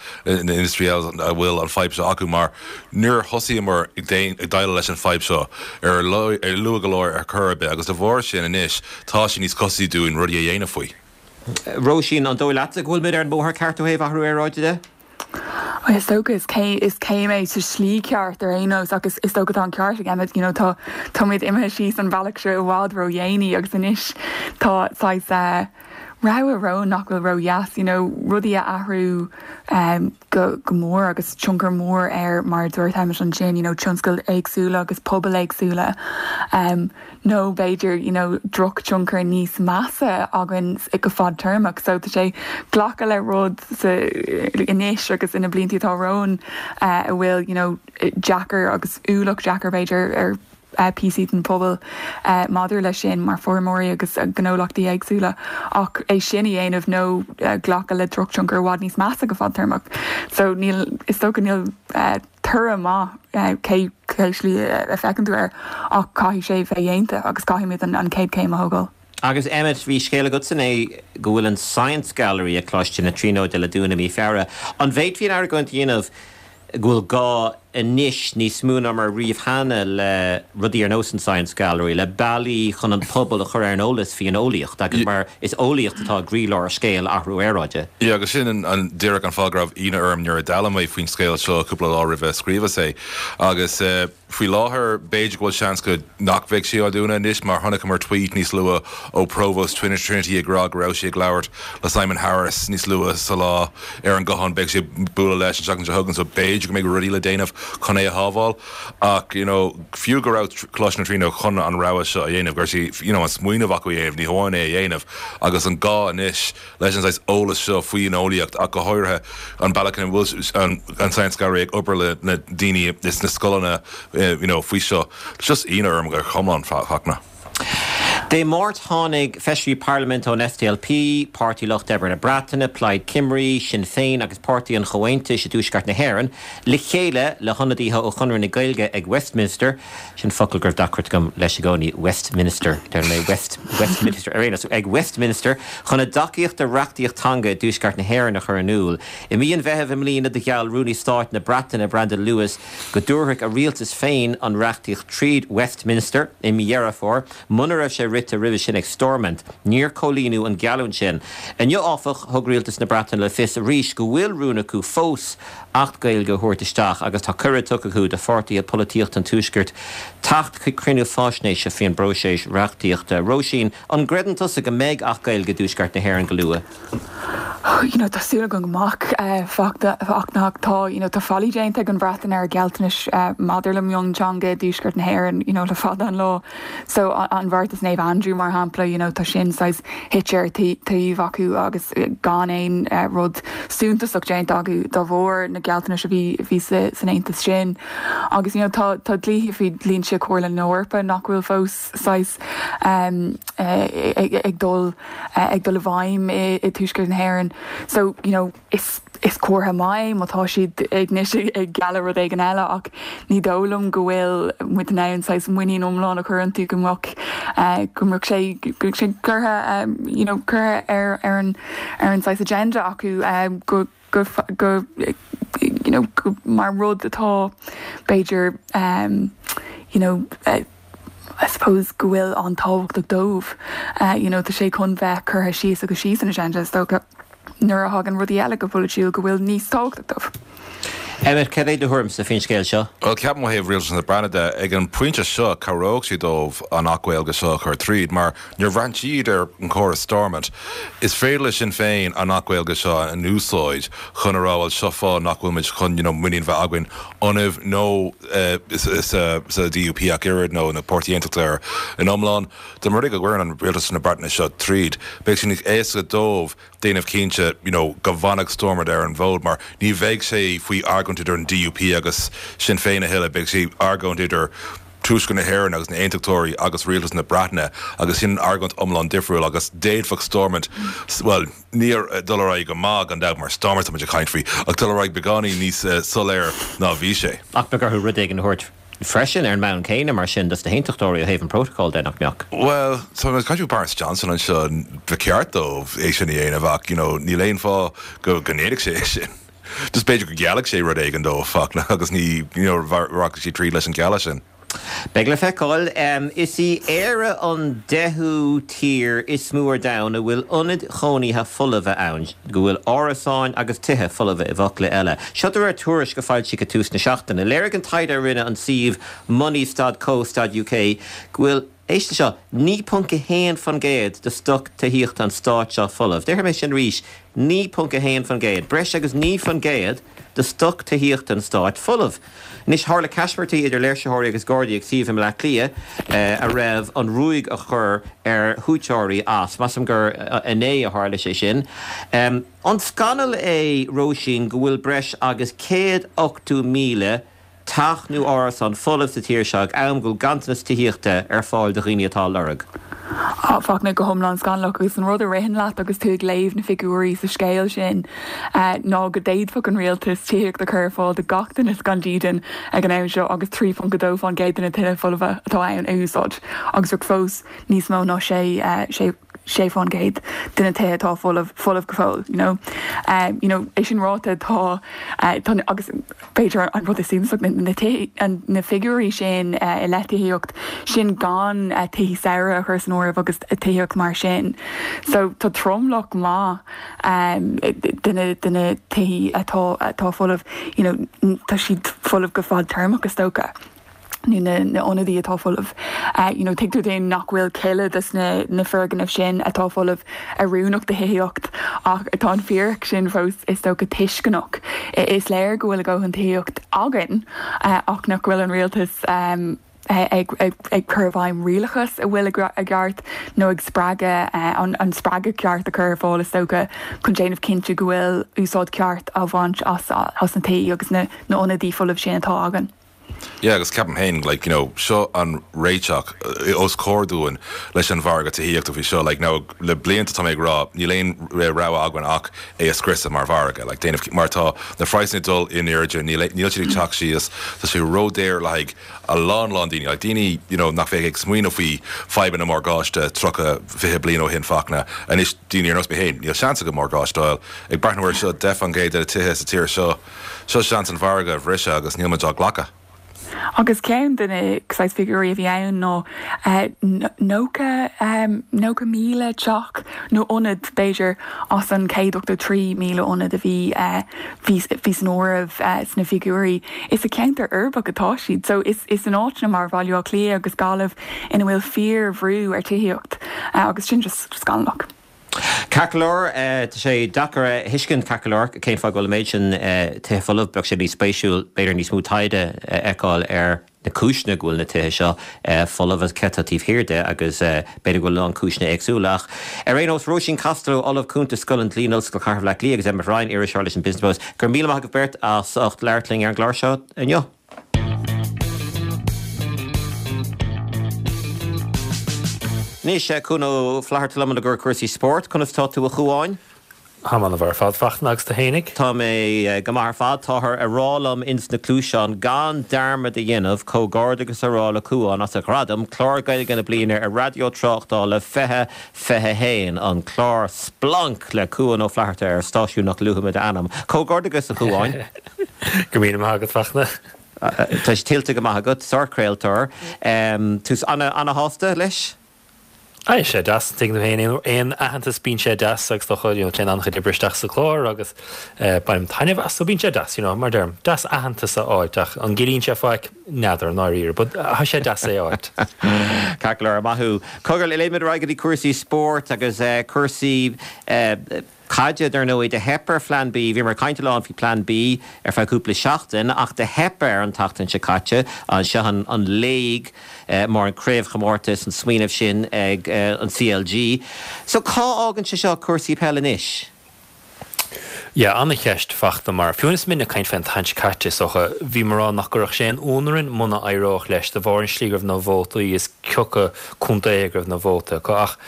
na industry eile a bhfuil an fadhb seo acu mar níor thosaíomar ag déileáil leis an fadhb seo ar ar luath go leor ar chor ar bith agus de bharr sin anois tá sé níos costasaí dúinn rudaí a dhéanamh faoi. Róisín an dóigh leatsa go bhfuil muid ar an mbóthar ceart ó thaobh athrú aeráide de? Is dócha is cé is céim é sa slí ceart ar aon nós agus is dócha tá an ceart ag Emmet you know, tá táimid imithe síos an bealach seo i bhfad ródhéanaí agus anois tá saghas uh, rogha romhainn nach bhfuil ródheas you know, rudaí a athrú um, go, go mór agus tionchar mór ar mar dúirt Emmet ansin you know, tionscail éagsúla agus pobal éagsúla um, nó b'fhéidir you know, drochthionchar níos measa againn go fadtéarmach, so tá sé glacadh le rud anois agus ina blianta atá romhainn uh, a bhfuil you know, deacair agus ualach deacair b'fhéidir ar uh, píosaí den pobal uh, maidir leis sin mar feirmeoirí agus uh, gnólachtaí éagsúla ach é sin a dhéanamh nó uh, glacadh le drochthionchar i bhfad níos measa go fadtéarmach. So níl is dócha níl uh, toradh maith uh, cé cé slí a fheiceann tú air ach caithfidh sé bheith déanta agus caithfimid an, an chéad chéim a thógáil. Agus Emmet bhí scéal agat san é go bhfuil an Science Gallery ag Coláiste na Tríonóide le dúnadh mí Feabhra. An bhféadfaí an argóint a dhéanamh go bhfuil gá anois níos mó ná mar riamh cheana le rudaí ar nós an Science Gallery, le bealaí chun an pobal a chur ar an eolas faoin eolaíocht agus mar is eolaíocht atá i gcroílár scéal athrú aeráide. Ja, agus sin an, an díreach an fáth go raibh ionadh orm nuair a d'fhoghlaim mé faoin scéal seo cúpla lá roimh scríobhas é. Agus uh, faoi láthair b'fhéidir go bhfuil seans go nach bheidh sé á dúnadh anois mar chonaiceamar tweet níos luaithe ó Provost Trinity Trinity ag rá go raibh sé ag labhairt le Simon Harris níos luaithe sa lá ar an guthán beidh sé bualadh leis an seachtain seo chugainn so b'fhéidir go mbeidh rudaí le déanamh chun é a shábháil ach you know, fiú go raibh Coláiste na Tríonóide chun an rogha seo a dhéanamh gur si you know, an smaoineamh acu dhéanamh ní hamháin é a dhéanamh agus an gá anois leis an eolas seo faoin eolaíocht ach go háirithe an bealach an an, an Science Gallery ag obair le na daoine is na scoileanna uh, you know, faoi seo just ionadh orm gur chomlán fachna. Dé Máirt tháinig feisirí parlaiminte ón SDLP, Páirtí Lucht Oibre na Breataine, Plaid Cymru, Sinn Féin agus Páirtí an Chomhaontais i dTuaisceart na hÉireann, le chéile le hionadaithe ó Chonradh na Gaeilge ag Westminster, sin focal go raibh deacracht agam leis i gcónaí Westminster mé West Westminster ar so ag Westminster chun a dtacaíocht do reachtaíocht teanga i dTuaisceart na hÉireann a chur in iúl. I mí an Mheithimh i mbliana do gheall Rúnaí Stáit na Breataine Brandon Lewis go dtabharfadh a rialtas féin an reachtaíocht tríd Westminster i mí Dheireadh Fómhair, muna raibh sé rite roimhe sin ag Stormont, níor comhlíonadh an gheallúint sin. Inniu áfach thug rialtas na Breataine le fios arís go bhfuil rún acu fós Acht Gaeilge a thabhairt isteach agus tá cuireadh tugtha acu do pháirtithe polaitíochta an Tuaiscirt teacht chuig cruinniú faisnéise faoin bpróiseas reachtaíochta. Róisín an gcreideann tusa go mbeidh Acht Gaeilge i dTuaisceart na hÉireann go luath. You know, tá súil agam go mbeidh uh, fachna tá you know, tá faillí déanta ag an Bhreatain ar gealltanais uh, maidir le mionteanga i dTuaisceart na hÉireann you know, le fada an lá. So an, an bheartas Naomh Andrew mar shampla you know, tá sin saghas thit ar taobh acu agus gan aon uh, rud suntasach déanta acu dá bharr na gealltanais a bhí bhí san aontas sin. Agus you know, tá tá dlíthe faoi dhlínse Chomhairle na hEorpa nach bhfuil fós saghas um, uh, ag, ag dul uh, ag dul i bhfeidhm i, i dTuaisceart na hÉireann. So you know, is is comhartha maith má tá siad ag anois ag gealladh rud éigin eile ach ní dóigh liom go bhfuil muid in ann saghas muinín iomlán a chur iontu go mbeadh uh, go mbeadh sé go sé curtha um, you know, curtha ar ar an ar an saghas agenda acu um, go go go you know, go mar rud atá b'fhéidir um, you know, uh, I suppose go bhfuil an tábhachtach dóibh uh, you know, tá sé chun bheith curtha síos agus síos an agenda is dócha nuair a thagann rudaí eile go polaitiúil go bhfuil níos tábhachtach dóibh. Emmet cad é do thuairimse faoin scéal seo? Well ceapaim ó thaobh rialtas na Breataine de ag an bpointe seo cabhródh sé dóibh an Acht Gaeilge seo a chur tríd, mar níor bhraith siad ar an chóras Stormont. Is féidir le Sinn Féin an Acht Gaeilge seo a úsáid chun a rá seo fáth nach bhfuil muid chun you know, muinín bheith againn ionaibh nó uh, sa, sa DUP ach oiread nó na Páirtí Aontachtach in iomlán, De mar go bhfuil an rialtas na Breataine seo tríd, Beidh sin éasca dóibh déanamh cinnte you know, go bhfanfaidh Stormont ar an bhfód mar ní bheidh sé faoi argóint idir an DUP agus Sinn Féin a thuilleadh beidh sé argóint idir Tuaisceart na hÉireann agus na hAontachtóirí agus rialtas na Breataine agus sin argóint iomlán difriúil agus d'fhéadfadh Stormont well níor dul ar aghaidh go maith gan dabht mar Stormont tá muid ag caint faoi ach dul ar aghaidh beagáinín níos soiléir ná bhí sé. Ach beidh orthu rud éigin a thabhairt freisin ar an mbonn céanna mar sin dos na hAontachtóirí ó thaobh an protocol de nach mbeadh. Well tá muid ag caint faoi Boris Johnson anseo ba cheart dó é sin a dhéanamh ach you know níl aon fáth go go ndéanfadh sé é sin. Just b'fhéidir go ngeallfadh sé rud éigin dó Fachtna agus ní you know rachaidh sé tríd leis an gealladh sin. Beidh le feiceáil. Is í Éire an deichiú tír is mó ar domhan a bhfuil ionaid chónaithe folmha ann, go bhfuil árasáin agus tithe folmha i bhfocla eile. Seo de réir tuairisc a foilsíodh ag tús na seachtaine. Léirigh an taighde a rinne an suíomh money dot co dot uk go bhfuil, éist leis seo, naoi ponc a haon faoin gcéad de stoc tithíochta an stáit seo folamh. Déarfaidh mé sin arís, naoi ponc a haon faoin gcéad, breis agus naoi faoin gcéad de stoc tithíochta an stáit folamh. Anois, tharla caismirtí idir léirsitheoirí agus Gardaí ag suíomh i mBleá Cliath a raibh an ruaig á chur ar shuaiteoirí as. Measaim gur inné a tharla sé sin. An scannal é, Róisín, go bhfuil breis agus céad ochtó míle teach nó árasán folamh sa tír seo ag am go bhfuil ganntanas tithíochta ar fáil do dhaoine atá á lorg? Fachtna, go hiomlán scannalach agus an rud a ritheann leat agus tú ag léamh na figiúirí sa scéal sin ná go d'fhéadfadh an rialtas tithíocht a chur ar fáil do gach duine gan dídean ag an am seo agus trí ponc a dó faoin gcéad de na tithe folmha atá ann a úsáid agus bheadh fós níos mó ná sé sé sé faoin gcéad de na tithe atá folamh folamh go fóill you know. Um, you know, é sin ráite tá tá agus b'fhéidir an rud is suntasach na na na figiúirí sin i leith tithíocht sin gan tithe saoire a chur san áireamh agus tithíocht mar sin. So tá tromlach maith um, de na de na tithe atá atá folamh you know, tá siad folamh go fadtéarmach is dócha. nó na na ionadaí atá folamh. Uh, you know, tuigtear dúinn nach bhfuil chuile des na na foirgnimh sin atá folamh oiriúnach do thithíocht ach atá an fíric sin fós is dócha tuisceanach. Is léir go bhfuil a dhóthain tithíocht againn uh, ach nach bhfuil an rialtas um, ag, ag, ag cur i bhfeidhm rialachas a bhfuil i gceart nó ag spreagadh an, an spreagadh ceart a chur ar fáil is dócha chun déanamh cinnte go bhfuil úsáid ceart á bhaint as, as na tithe agus na, na ionadaí folamh sin atá againn. Yeah, agus ceapaim féin like, you know, seo an réiteach os comhair dúinn leis an mhargadh tithíochta faoi seo like, now, le blianta tá mé ag rá níl aon rogha againn ach é a scriosadh mar mhargadh like, déanamh mar tá na praghsanna ag dul in airde níl níl siad ag teacht síos tá sé ródhaor le haghaidh a lán lán daoine like, daoine you know, nach bheadh ag smaoineamh faoi fadhbanna morgáiste tríocha fiche bliain ó shin Fachtna anois daoine ar nós mé féin níl seans agam morgáiste a fháil ag breathnú air seo deich faoin gcéad de na tithe sa tír seo seo seans an mhargadh a bhriseadh agus níl muid á ghlacadh. Agus ceann de na saghas figiúirí a bhí ann ná nócha nócha míle teach nó ionad b'fhéidir as an céad ochtó trí míle ionad a bhí bhí bhí san áireamh sna figiúirí. Is i ceantar uirbeach atá siad, so is is in áiteanna mar Bhaile Átha Cliath agus Gaillimh ina bhfuil fíorbhrú ar tithíocht agus sin just scannalach. Ceart go leor tá sé deacair a thuiscint ceart go leor cén fáth go bhfuil an méid sin tithe folamh bheadh sé níos spéisiúil b'fhéidir níos mó taighde a fheiceáil ar na cúiseanna go bhfuil na tithe seo folamh agus cé atá taobh thiar de agus b'fhéidir go bhfuil lán cúiseanna éagsúla ach ar aon nós Róisín Costello Ollamh Cúnta Scoil an Dlí in Ollscoil Chathair Bhaile Átha Cliath agus Emmet Ryan iriseoir leis an Business Post gur míle maith agaibh beirt as ucht labhairt linn ar an gclár seo inniu. Anois, Cuan Ó Flatharta liom i gcomhair cúrsaí spóirt. Conas tá tú a Chuáin? Táim an-mhaith ar fad Fachtna agus tú fhéinig? Tá mé go maith ar fad. Táthar ag rá liom ins na cluaiseáin gan dearmad a dhéanamh comhghairdeachas a rá le Cuán as a ghradam, Clár Gaeilge na Bliana ar Raidió Tráchtála fiche fiche haon, an clár Splanc le Cuan Ó Flatharta ar stáisiún nach luafaidh mé d'ainm. Comhghairdeachas a Chuáin. Go míle maith agat Fachtna. Tá sé tuillte go maith agat, sárchraoltóir. Tú ana-shásta leis? Tá sé deas tuigim féin aon aitheantas bíonn sé deas agus dócha you know téann an-chuid oibre isteach sa chlár agus bainim taitneamh as so bíonn sé deas you know mar deirim deas aitheantas a fháilt ach an gciallaíonn sé faic n'fheadar i ndáiríre but tá sé deas é a fháilt. Ceart go leor, maith thú. Cogar, léimid ar aghaidh go dtí cúrsaí spóirt agus cúrsaí caide, dar ndóigh, do theip ar Phlean B. Bhíomar ag caint a lán faoi Plean B ar feadh cúpla seachtain ach do theip air an tseachtain seo caite. Anseo an Léig mar an craobhchomórtas, an smaoineamh sin ag an C L G. So cá fhágann sé seo cúrsaí peile anois? Yeah, an-cheist Fachtna mar fiú is muid ag caint fén tseachtain seo caite is dócha bhí mé ag rá nach gcuirfeadh sé aon ionadh orainn muna éireodh leis de bharr an slí go raibh na vótaí is cé acu contae go raibh na vótaí acu ach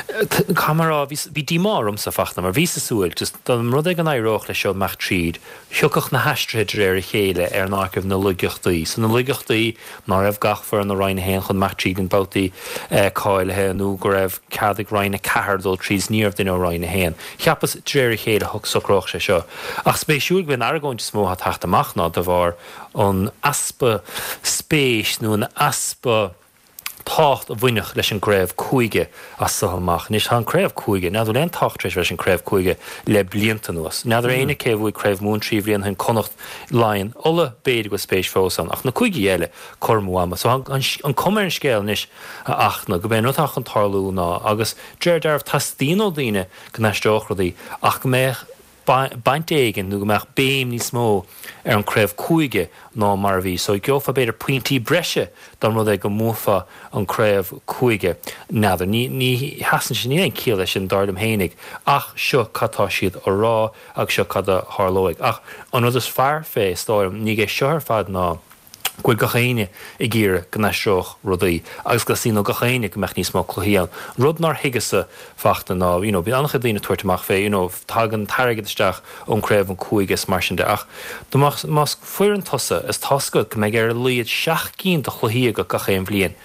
caithfidh mé a rá bhí bhí díomá ormsa Fachtna mar bhíos ag súil just dá mba rud é go n-éireodh leis seo imeacht tríd thiocfadh na haistrithe de réir a chéile ar an áit go raibh na laigeachtaí so na laigeachtaí ná raibh gach foireann i Roinn a haon chun imeacht tríd an babhtaí cáilithe nó go raibh cead ag Roinn a ceathair dul tríd is ní raibh duine ó Roinn a haon. Cheapas de réir a chéile socródh sé seo. Ach spéisiúil go bhfuil an argóint is mó atá ag teacht amach ná de bharr an easpa spéis nó an easpa tábhacht a bhainfeadh leis an gcraobh cúige as so amach. Anois tá an craobh cúige, n'fheadar bhfuil aon tábhacht tar éis leis an craobh cúige le blianta anuas. N'fheadar éinne cé a bhuaigh craobh Mumhan trí bhliain ó shin, Connacht, Laighean, Uladh, b'fhéidir go bhfuil spéis fós ann, ach na cúigí eile, cur amú ama. So an, an cuma ar an scéal anois a Fhachtna, gurb é an rud atá chun tarlú ná, agus de réir dealraimh teastaíonn ó daoine go n-aistreodh rudaí ach go mbeadh baint éigin nó go mbeadh béim níos mó ar an craobh cúige ná mar a bhí. So gheofá b'fhéidir pointí breise dá mba rud é go mbuafá an craobh cúige. N'fheadar. Ní ní sheasann sé, níl aon ciall leis sin dar liom fhéinig ach seo cad tá siad a rá agus seo cad a tharlóidh. Ach an rud is fearr fé, is dóigh liom, ní é seo ar fad ná go bhfuil gach éinne ag iarraidh go n-aistreodh rudaí agus go dteastaíonn ó gach éinne go mbeadh níos mó cluichí ann. Rud nár thuigeas-sa Fachtna ná, you know, bíonn an-chuid daoine ag tabhairt amach fé, you know, tagann t-airgead isteach ón craobh an cúige is mar sin de ach dá mbeadh, más foireann tusa is tá a fhios agat go mbeidh ar a laghad seacht gcinn de chluichí agat gach aon bhliain,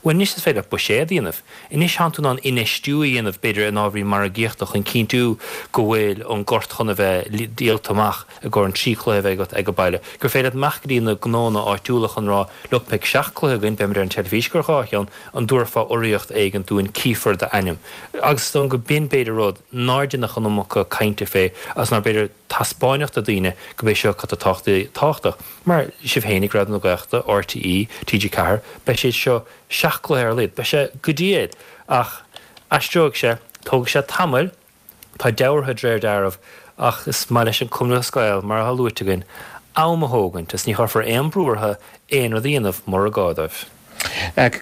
bhuel anois is féidir leat buiséad a dhéanamh. Anois tánn tú in ann infheistiú a dhéanamh b'fhéidir in ábhairí margaíochta chun cinntiú go bhfuil an gort chun a bheith díolta amach i gcomhair an trí chluiche a bheidh agat ag an baile. Gur féidir leat imeacht go dtí na gnónna áitiúla chun rá look beidh seacht cluiche againn, beimid ar an teilifís go dhá cheann, an dtabharfá urraíocht éigin dúinn, cífear d'ainm. Agus is dóigh go b'in b'fhéidir rud nár deineadh an iomarca cainte fé agus nár b'fhéidir taispeáineadh do daoine go b'é seo cad tá tábhachtach. Mar sibh féinig, Raidió na Gaeltachta, RTÉ, TG Ceathair, beidh siad seo seacht gcluiche ar a laghad. Beidh sé go diail. Ach aistreoidh sé, tógfaidh sé tamall, tá deabhartha de réir dealraimh, ach is maith leis an Cumann Lúthchleas Gael, mar atá luaite againn, am a thógaint is ní chuirfear aon brú orthu aon rud a dhéanamh mura gá dóibh.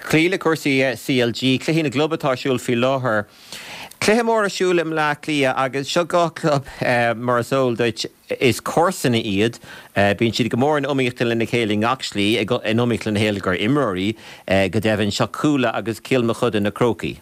Cloí le cúrsaí CLG, cluichí na gclub atá ar siúl faoi láthair. Cluiche mór ar siúl i mBleá Cliath agus seo dhá chlub, mar is eol duit, is comharsana iad. Bíonn siad go mór in iomaíocht lena chéile i ngach slí, in iomaíocht lena chéile gur imreoirí, go deimhin. Seo Cuala agus Cill Mochuda, na Crócaigh.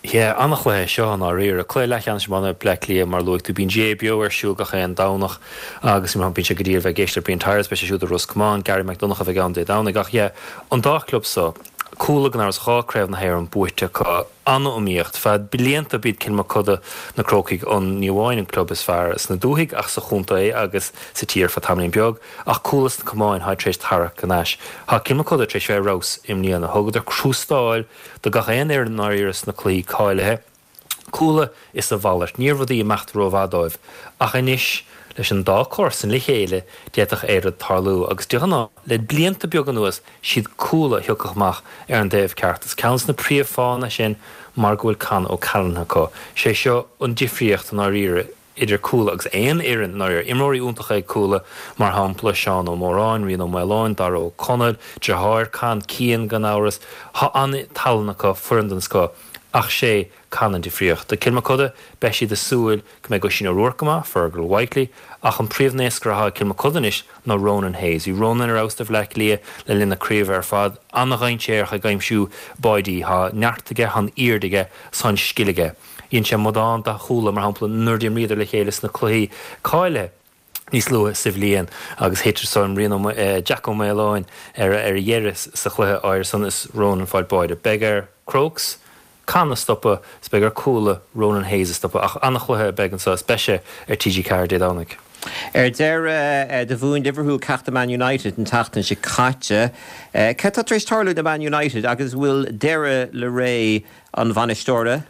Yeah, an-chluiche é seo i ndáiríre. Cluiche leathcheannais iomána Bleá Cliath, mar a luaigh tú. Bíonn GAA Beo ar siúl gach aon Domhnach agus bíonn sé go diail bheith ag éisteacht le Brian Tyers, beidh sé siúd i Ros Comáin, Gary Mac Donncha a bheidh ann Dé Domhnaigh. Ach yeah, an dá chlub seo, Cuala gan amhras dhá craobh na hÉireann buaite acu, an-iomaíocht. Feadh blianta b'iad Cill Mochuda na Crócaigh an ní amháin an club is fearr sna dúthaigh ach sa chontae agus sa tír feadh tamaillín beag. Ach Cuala sna camáin tháid tar éis tarrac anois. Tá Cill Mochuda tar éis bheith ar fheabhas i mbliana. Thugadar crústáil do gach aon fhoireann i ndáiríre sna cluichí cáilithe. Cuala is a mhalairt. Ní raibh rudaí ag imeacht rómhaith dóibh. Ach anois, leis an dá comharsan le chéile, d'fhéadfadh aon rud tarlú. Agus de ghnáth, le blianta beaga anuas, siad Cuala a thiocfadh amach ar an dtaobh ceart. Is ceann de na príomhfháthanna sin mar go bhfuil Con O'Callaghan acu. Sé seo an difríocht i ndáiríre idir Cuala agus aon fhoireann i ndáiríre. Imreoirí iontacha ag Cuala, mar shampla Seán Ó Móráin, Rian Ó Maoláin, Dara Ó Conaill, deartháir Con, Cian gan amhras. Tá an-tallann acu, foireann den scoth. Ach sé Con an difríocht. Do Cill Mochuda, beidh siad ag súil go mbeidh Oisín O'Rourke go maith, Fergal Whitely, ach an príomhnaoscaire atá ag Cill Mochuda anois ná Ronan Hayes. Bhí Ronan ar fheabhas do Bhleá Cliath le linn na craoibhe ar fad. An-dhainséarach ag aimsiú báidí. Tá neart aige, tá an aird aige, 's tá an scil aige. Dhein sé amadán de Chuala, mar shampla, nuair a d'imríodar le chéile sna cluichí cáilithe. níos luaithe sa bhliain agus thit san Rian Ó Jack Ó Maoláin ar a dheireadh sa chluiche áirithe san is Ronan fáil báide. Beidh ar Crokes Con a stopadh is beidh ar Cuala Ronan Hayes a stopadh ach an-chluiche a bheidh anseo is beidh sé ar TG Ceathair Dé Domhnaigh. Ar deireadh, do bhuaigh Liverpool ceachtar Man United an tseachtain seo caite. Cad tá tar éis tarlú do Man United agus bhfuil deireadh le ré an bhainisteora?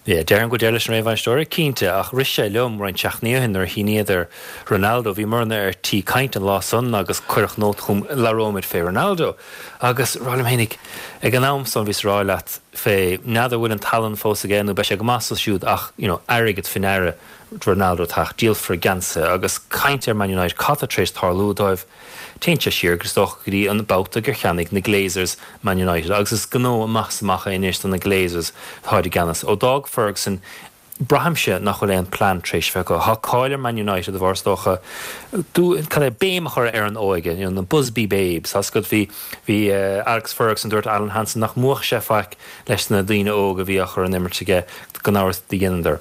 Yeah, déarfainn go bhfuil deireadh leis an ré bhainisteora, cinnte, ach rith sé liom roinnt seachtainí ó shin nuair a shíníodar Ronaldo, bhíomarna ar tí caint an lá san agus cuireadh nóta chugam, labhróimid fé Ronaldo. Agus rá liom fhéinig, ag an am san bhíos ag rá leat fé, n'fheadar bhfuil an tallann fós aige nó beidh sé go maith so siúd ach, you know, airgead faoi ndeara Ronaldo teacht, díolfar geansaithe agus caint ar Man United, cad tá tar éis tarlú dóibh? Téann sé siar, is dócha, go dtí an babhta gur cheannaigh na Glazers Man United agus is gnó amach is amach é anois do na Glazers atáid i gceannas. Ó d'fhág Ferguson Braithimse nach bhfuil aon plean tar éis bheith acu. Tá cáil ar Man United de bharr is dócha cad é béim a chur ar an óige, you know, na Busby Babes. Tá a fhios agat bhí bhí Alex Ferguson dúirt Alan Hansen nach mbuafadh sé faic leis na daoine óga a bhí á chur in imirt aige gan amhras do dheineadar.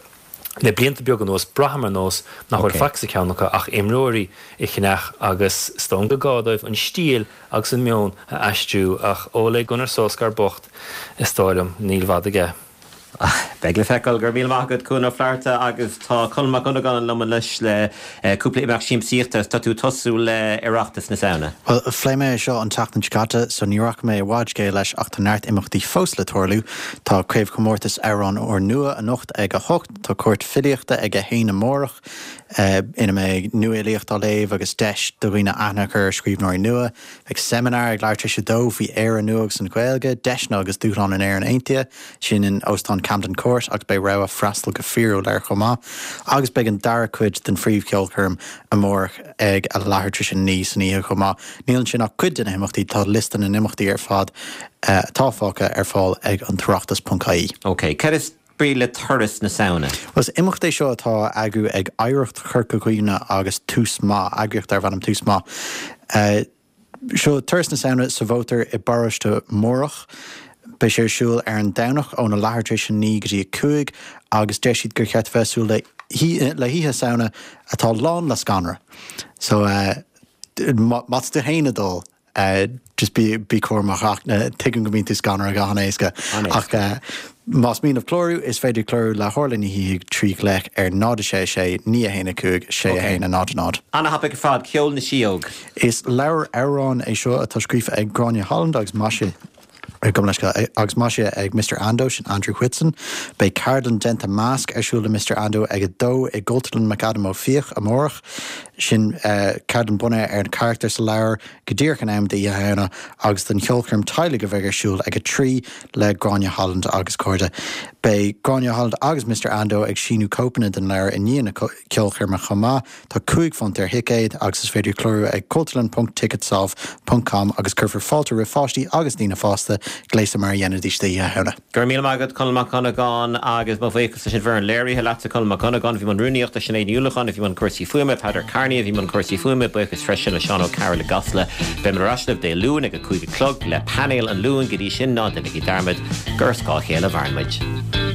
Le blianta beaga anuas braithim ar nós nach bhfuil faic sa cheann acu ach imreoirí a cheannach agus is dóigh liom gur gá dóibh an stíl agus an meon a aistriú ach Ole Gunnar Solskjaer bocht is dóigh liom níl i bhfad aige. Beidh le feiceáil. Go raibh míle maith agat Cuan Ó Flatharta agus tá Conall Mac Dhonnagáin liom anois le cúpla imeacht siamsaíochta. Tá tú ag tosú le Oireachtas na Samhna. Bhuel, phléigh mé é seo an tseachtain seo caite so ní rachaidh mé i bhfad scéal leis ach tá neart imeachtaí fós le tarlú. Tá Craobhchomórtas Amhrán Úrnua anocht ag a hocht, tá cúirt filíochta ag a haon amárach ina mbeidh nuafhilíocht á léamh agus deis do dhaoine aithne a chur ar scríbhneoirí nua. Beidh seimineár ag leathuair tar éis a dó faoi Éire nua agus an Ghaeilge, deiseanna agus dúshláin in Éirinn Aontaithe, sin in Óstán Camden Court agus beidh rogha freastal go fíorúil air chomh maith. Agus beidh an dara cuid den phríomhcheolchoirm amárach ag a leathuair tar éis a naoi san oíche chomh maith. Níl ansin ach cuid de na himeachtaí, tá liosta na n-imeachtaí ar fad atá fágtha ar fáil ag an toireachtas ponc ie. Ok, cad is brí le Turas na Samhna? Bhuel, is imeacht é seo atá á eagrú ag Oidhreacht Chorca Dhuibhne agus Tús Maith, eagraíocht darb ainm Tús Maith. Seo Turas na Samhna sa mhótar i bparóiste Mórdhach. Beidh sé ar siúl ar an Domhnach óna leathuair tar éis a naoi go dtí a cúig agus deir siad gur cheart a bheith ag súil le le hoíche Samhna atá lán le scanradh. So má tá tú féin ag dul just bí bí cúramach ach tuigim go mbíonn tú scanraithe go han-éasca. Ach más mian libh clárú, is féidir clárú le hOrla Ní Shíthigh trí ghlaoch ar náid a sé sé naoi a haon a cúig sé a haon a náid a náid. Ana-thapaidh ar fad, Ceol na Síóg. Is leabhar amhrán é seo atá scríofa ag Gráinne Holland agus maisithe agus maisithe ag Mister Ando, sin Andrew Whitson. Beidh ceardlann déanta masc ar siúl le Mister Ando ag a dó i gCultúrlann McAdam Ó Fiaich amárach. Sin ceardlann bunaithe ar na carachtair sa leabhar go díreach in am d'Oíche Shamhna agus don cheolchoirm teaghlaigh a bheidh ar siúl ag a trí le Gráinne Holland agus cairde. Beidh Gráinne Holland agus Mister Ando ag síniú cóipeanna den leabhar i ndiaidh na ceolchoirme chomh maith. Tá cúig phunt ar thicéad agus is féidir clárú ag cultúrlann ponc ticketsolve ponc com agus cuirfear fáilte roimh pháistí agus daoine fásta gléasta mar a dhéanfaidís d'Oíche Shamhna. Go raibh míle maith agat, Conall Mac Dhonnagáin, agus mo bhuíochas leis an bhfoireann léirithe, leatsa Conall Mac Dhonnagáin, a bhí i mbun rúnaíochta, Sinéad Ní Uallacháin, a bhí i mbun cúrsaí fuaime, Peadar Kearney, a bhí i mbun cúrsaí fuaime, buíochas freisin le Seán Ó Cearúil i gCasla. Beimid ar ais libh Dé Luain ag a cúig a chlog le Painéal an Luain. Go dtí sin, ná déanaigí dearmad gur ar scáth a chéile a mhaireann muid.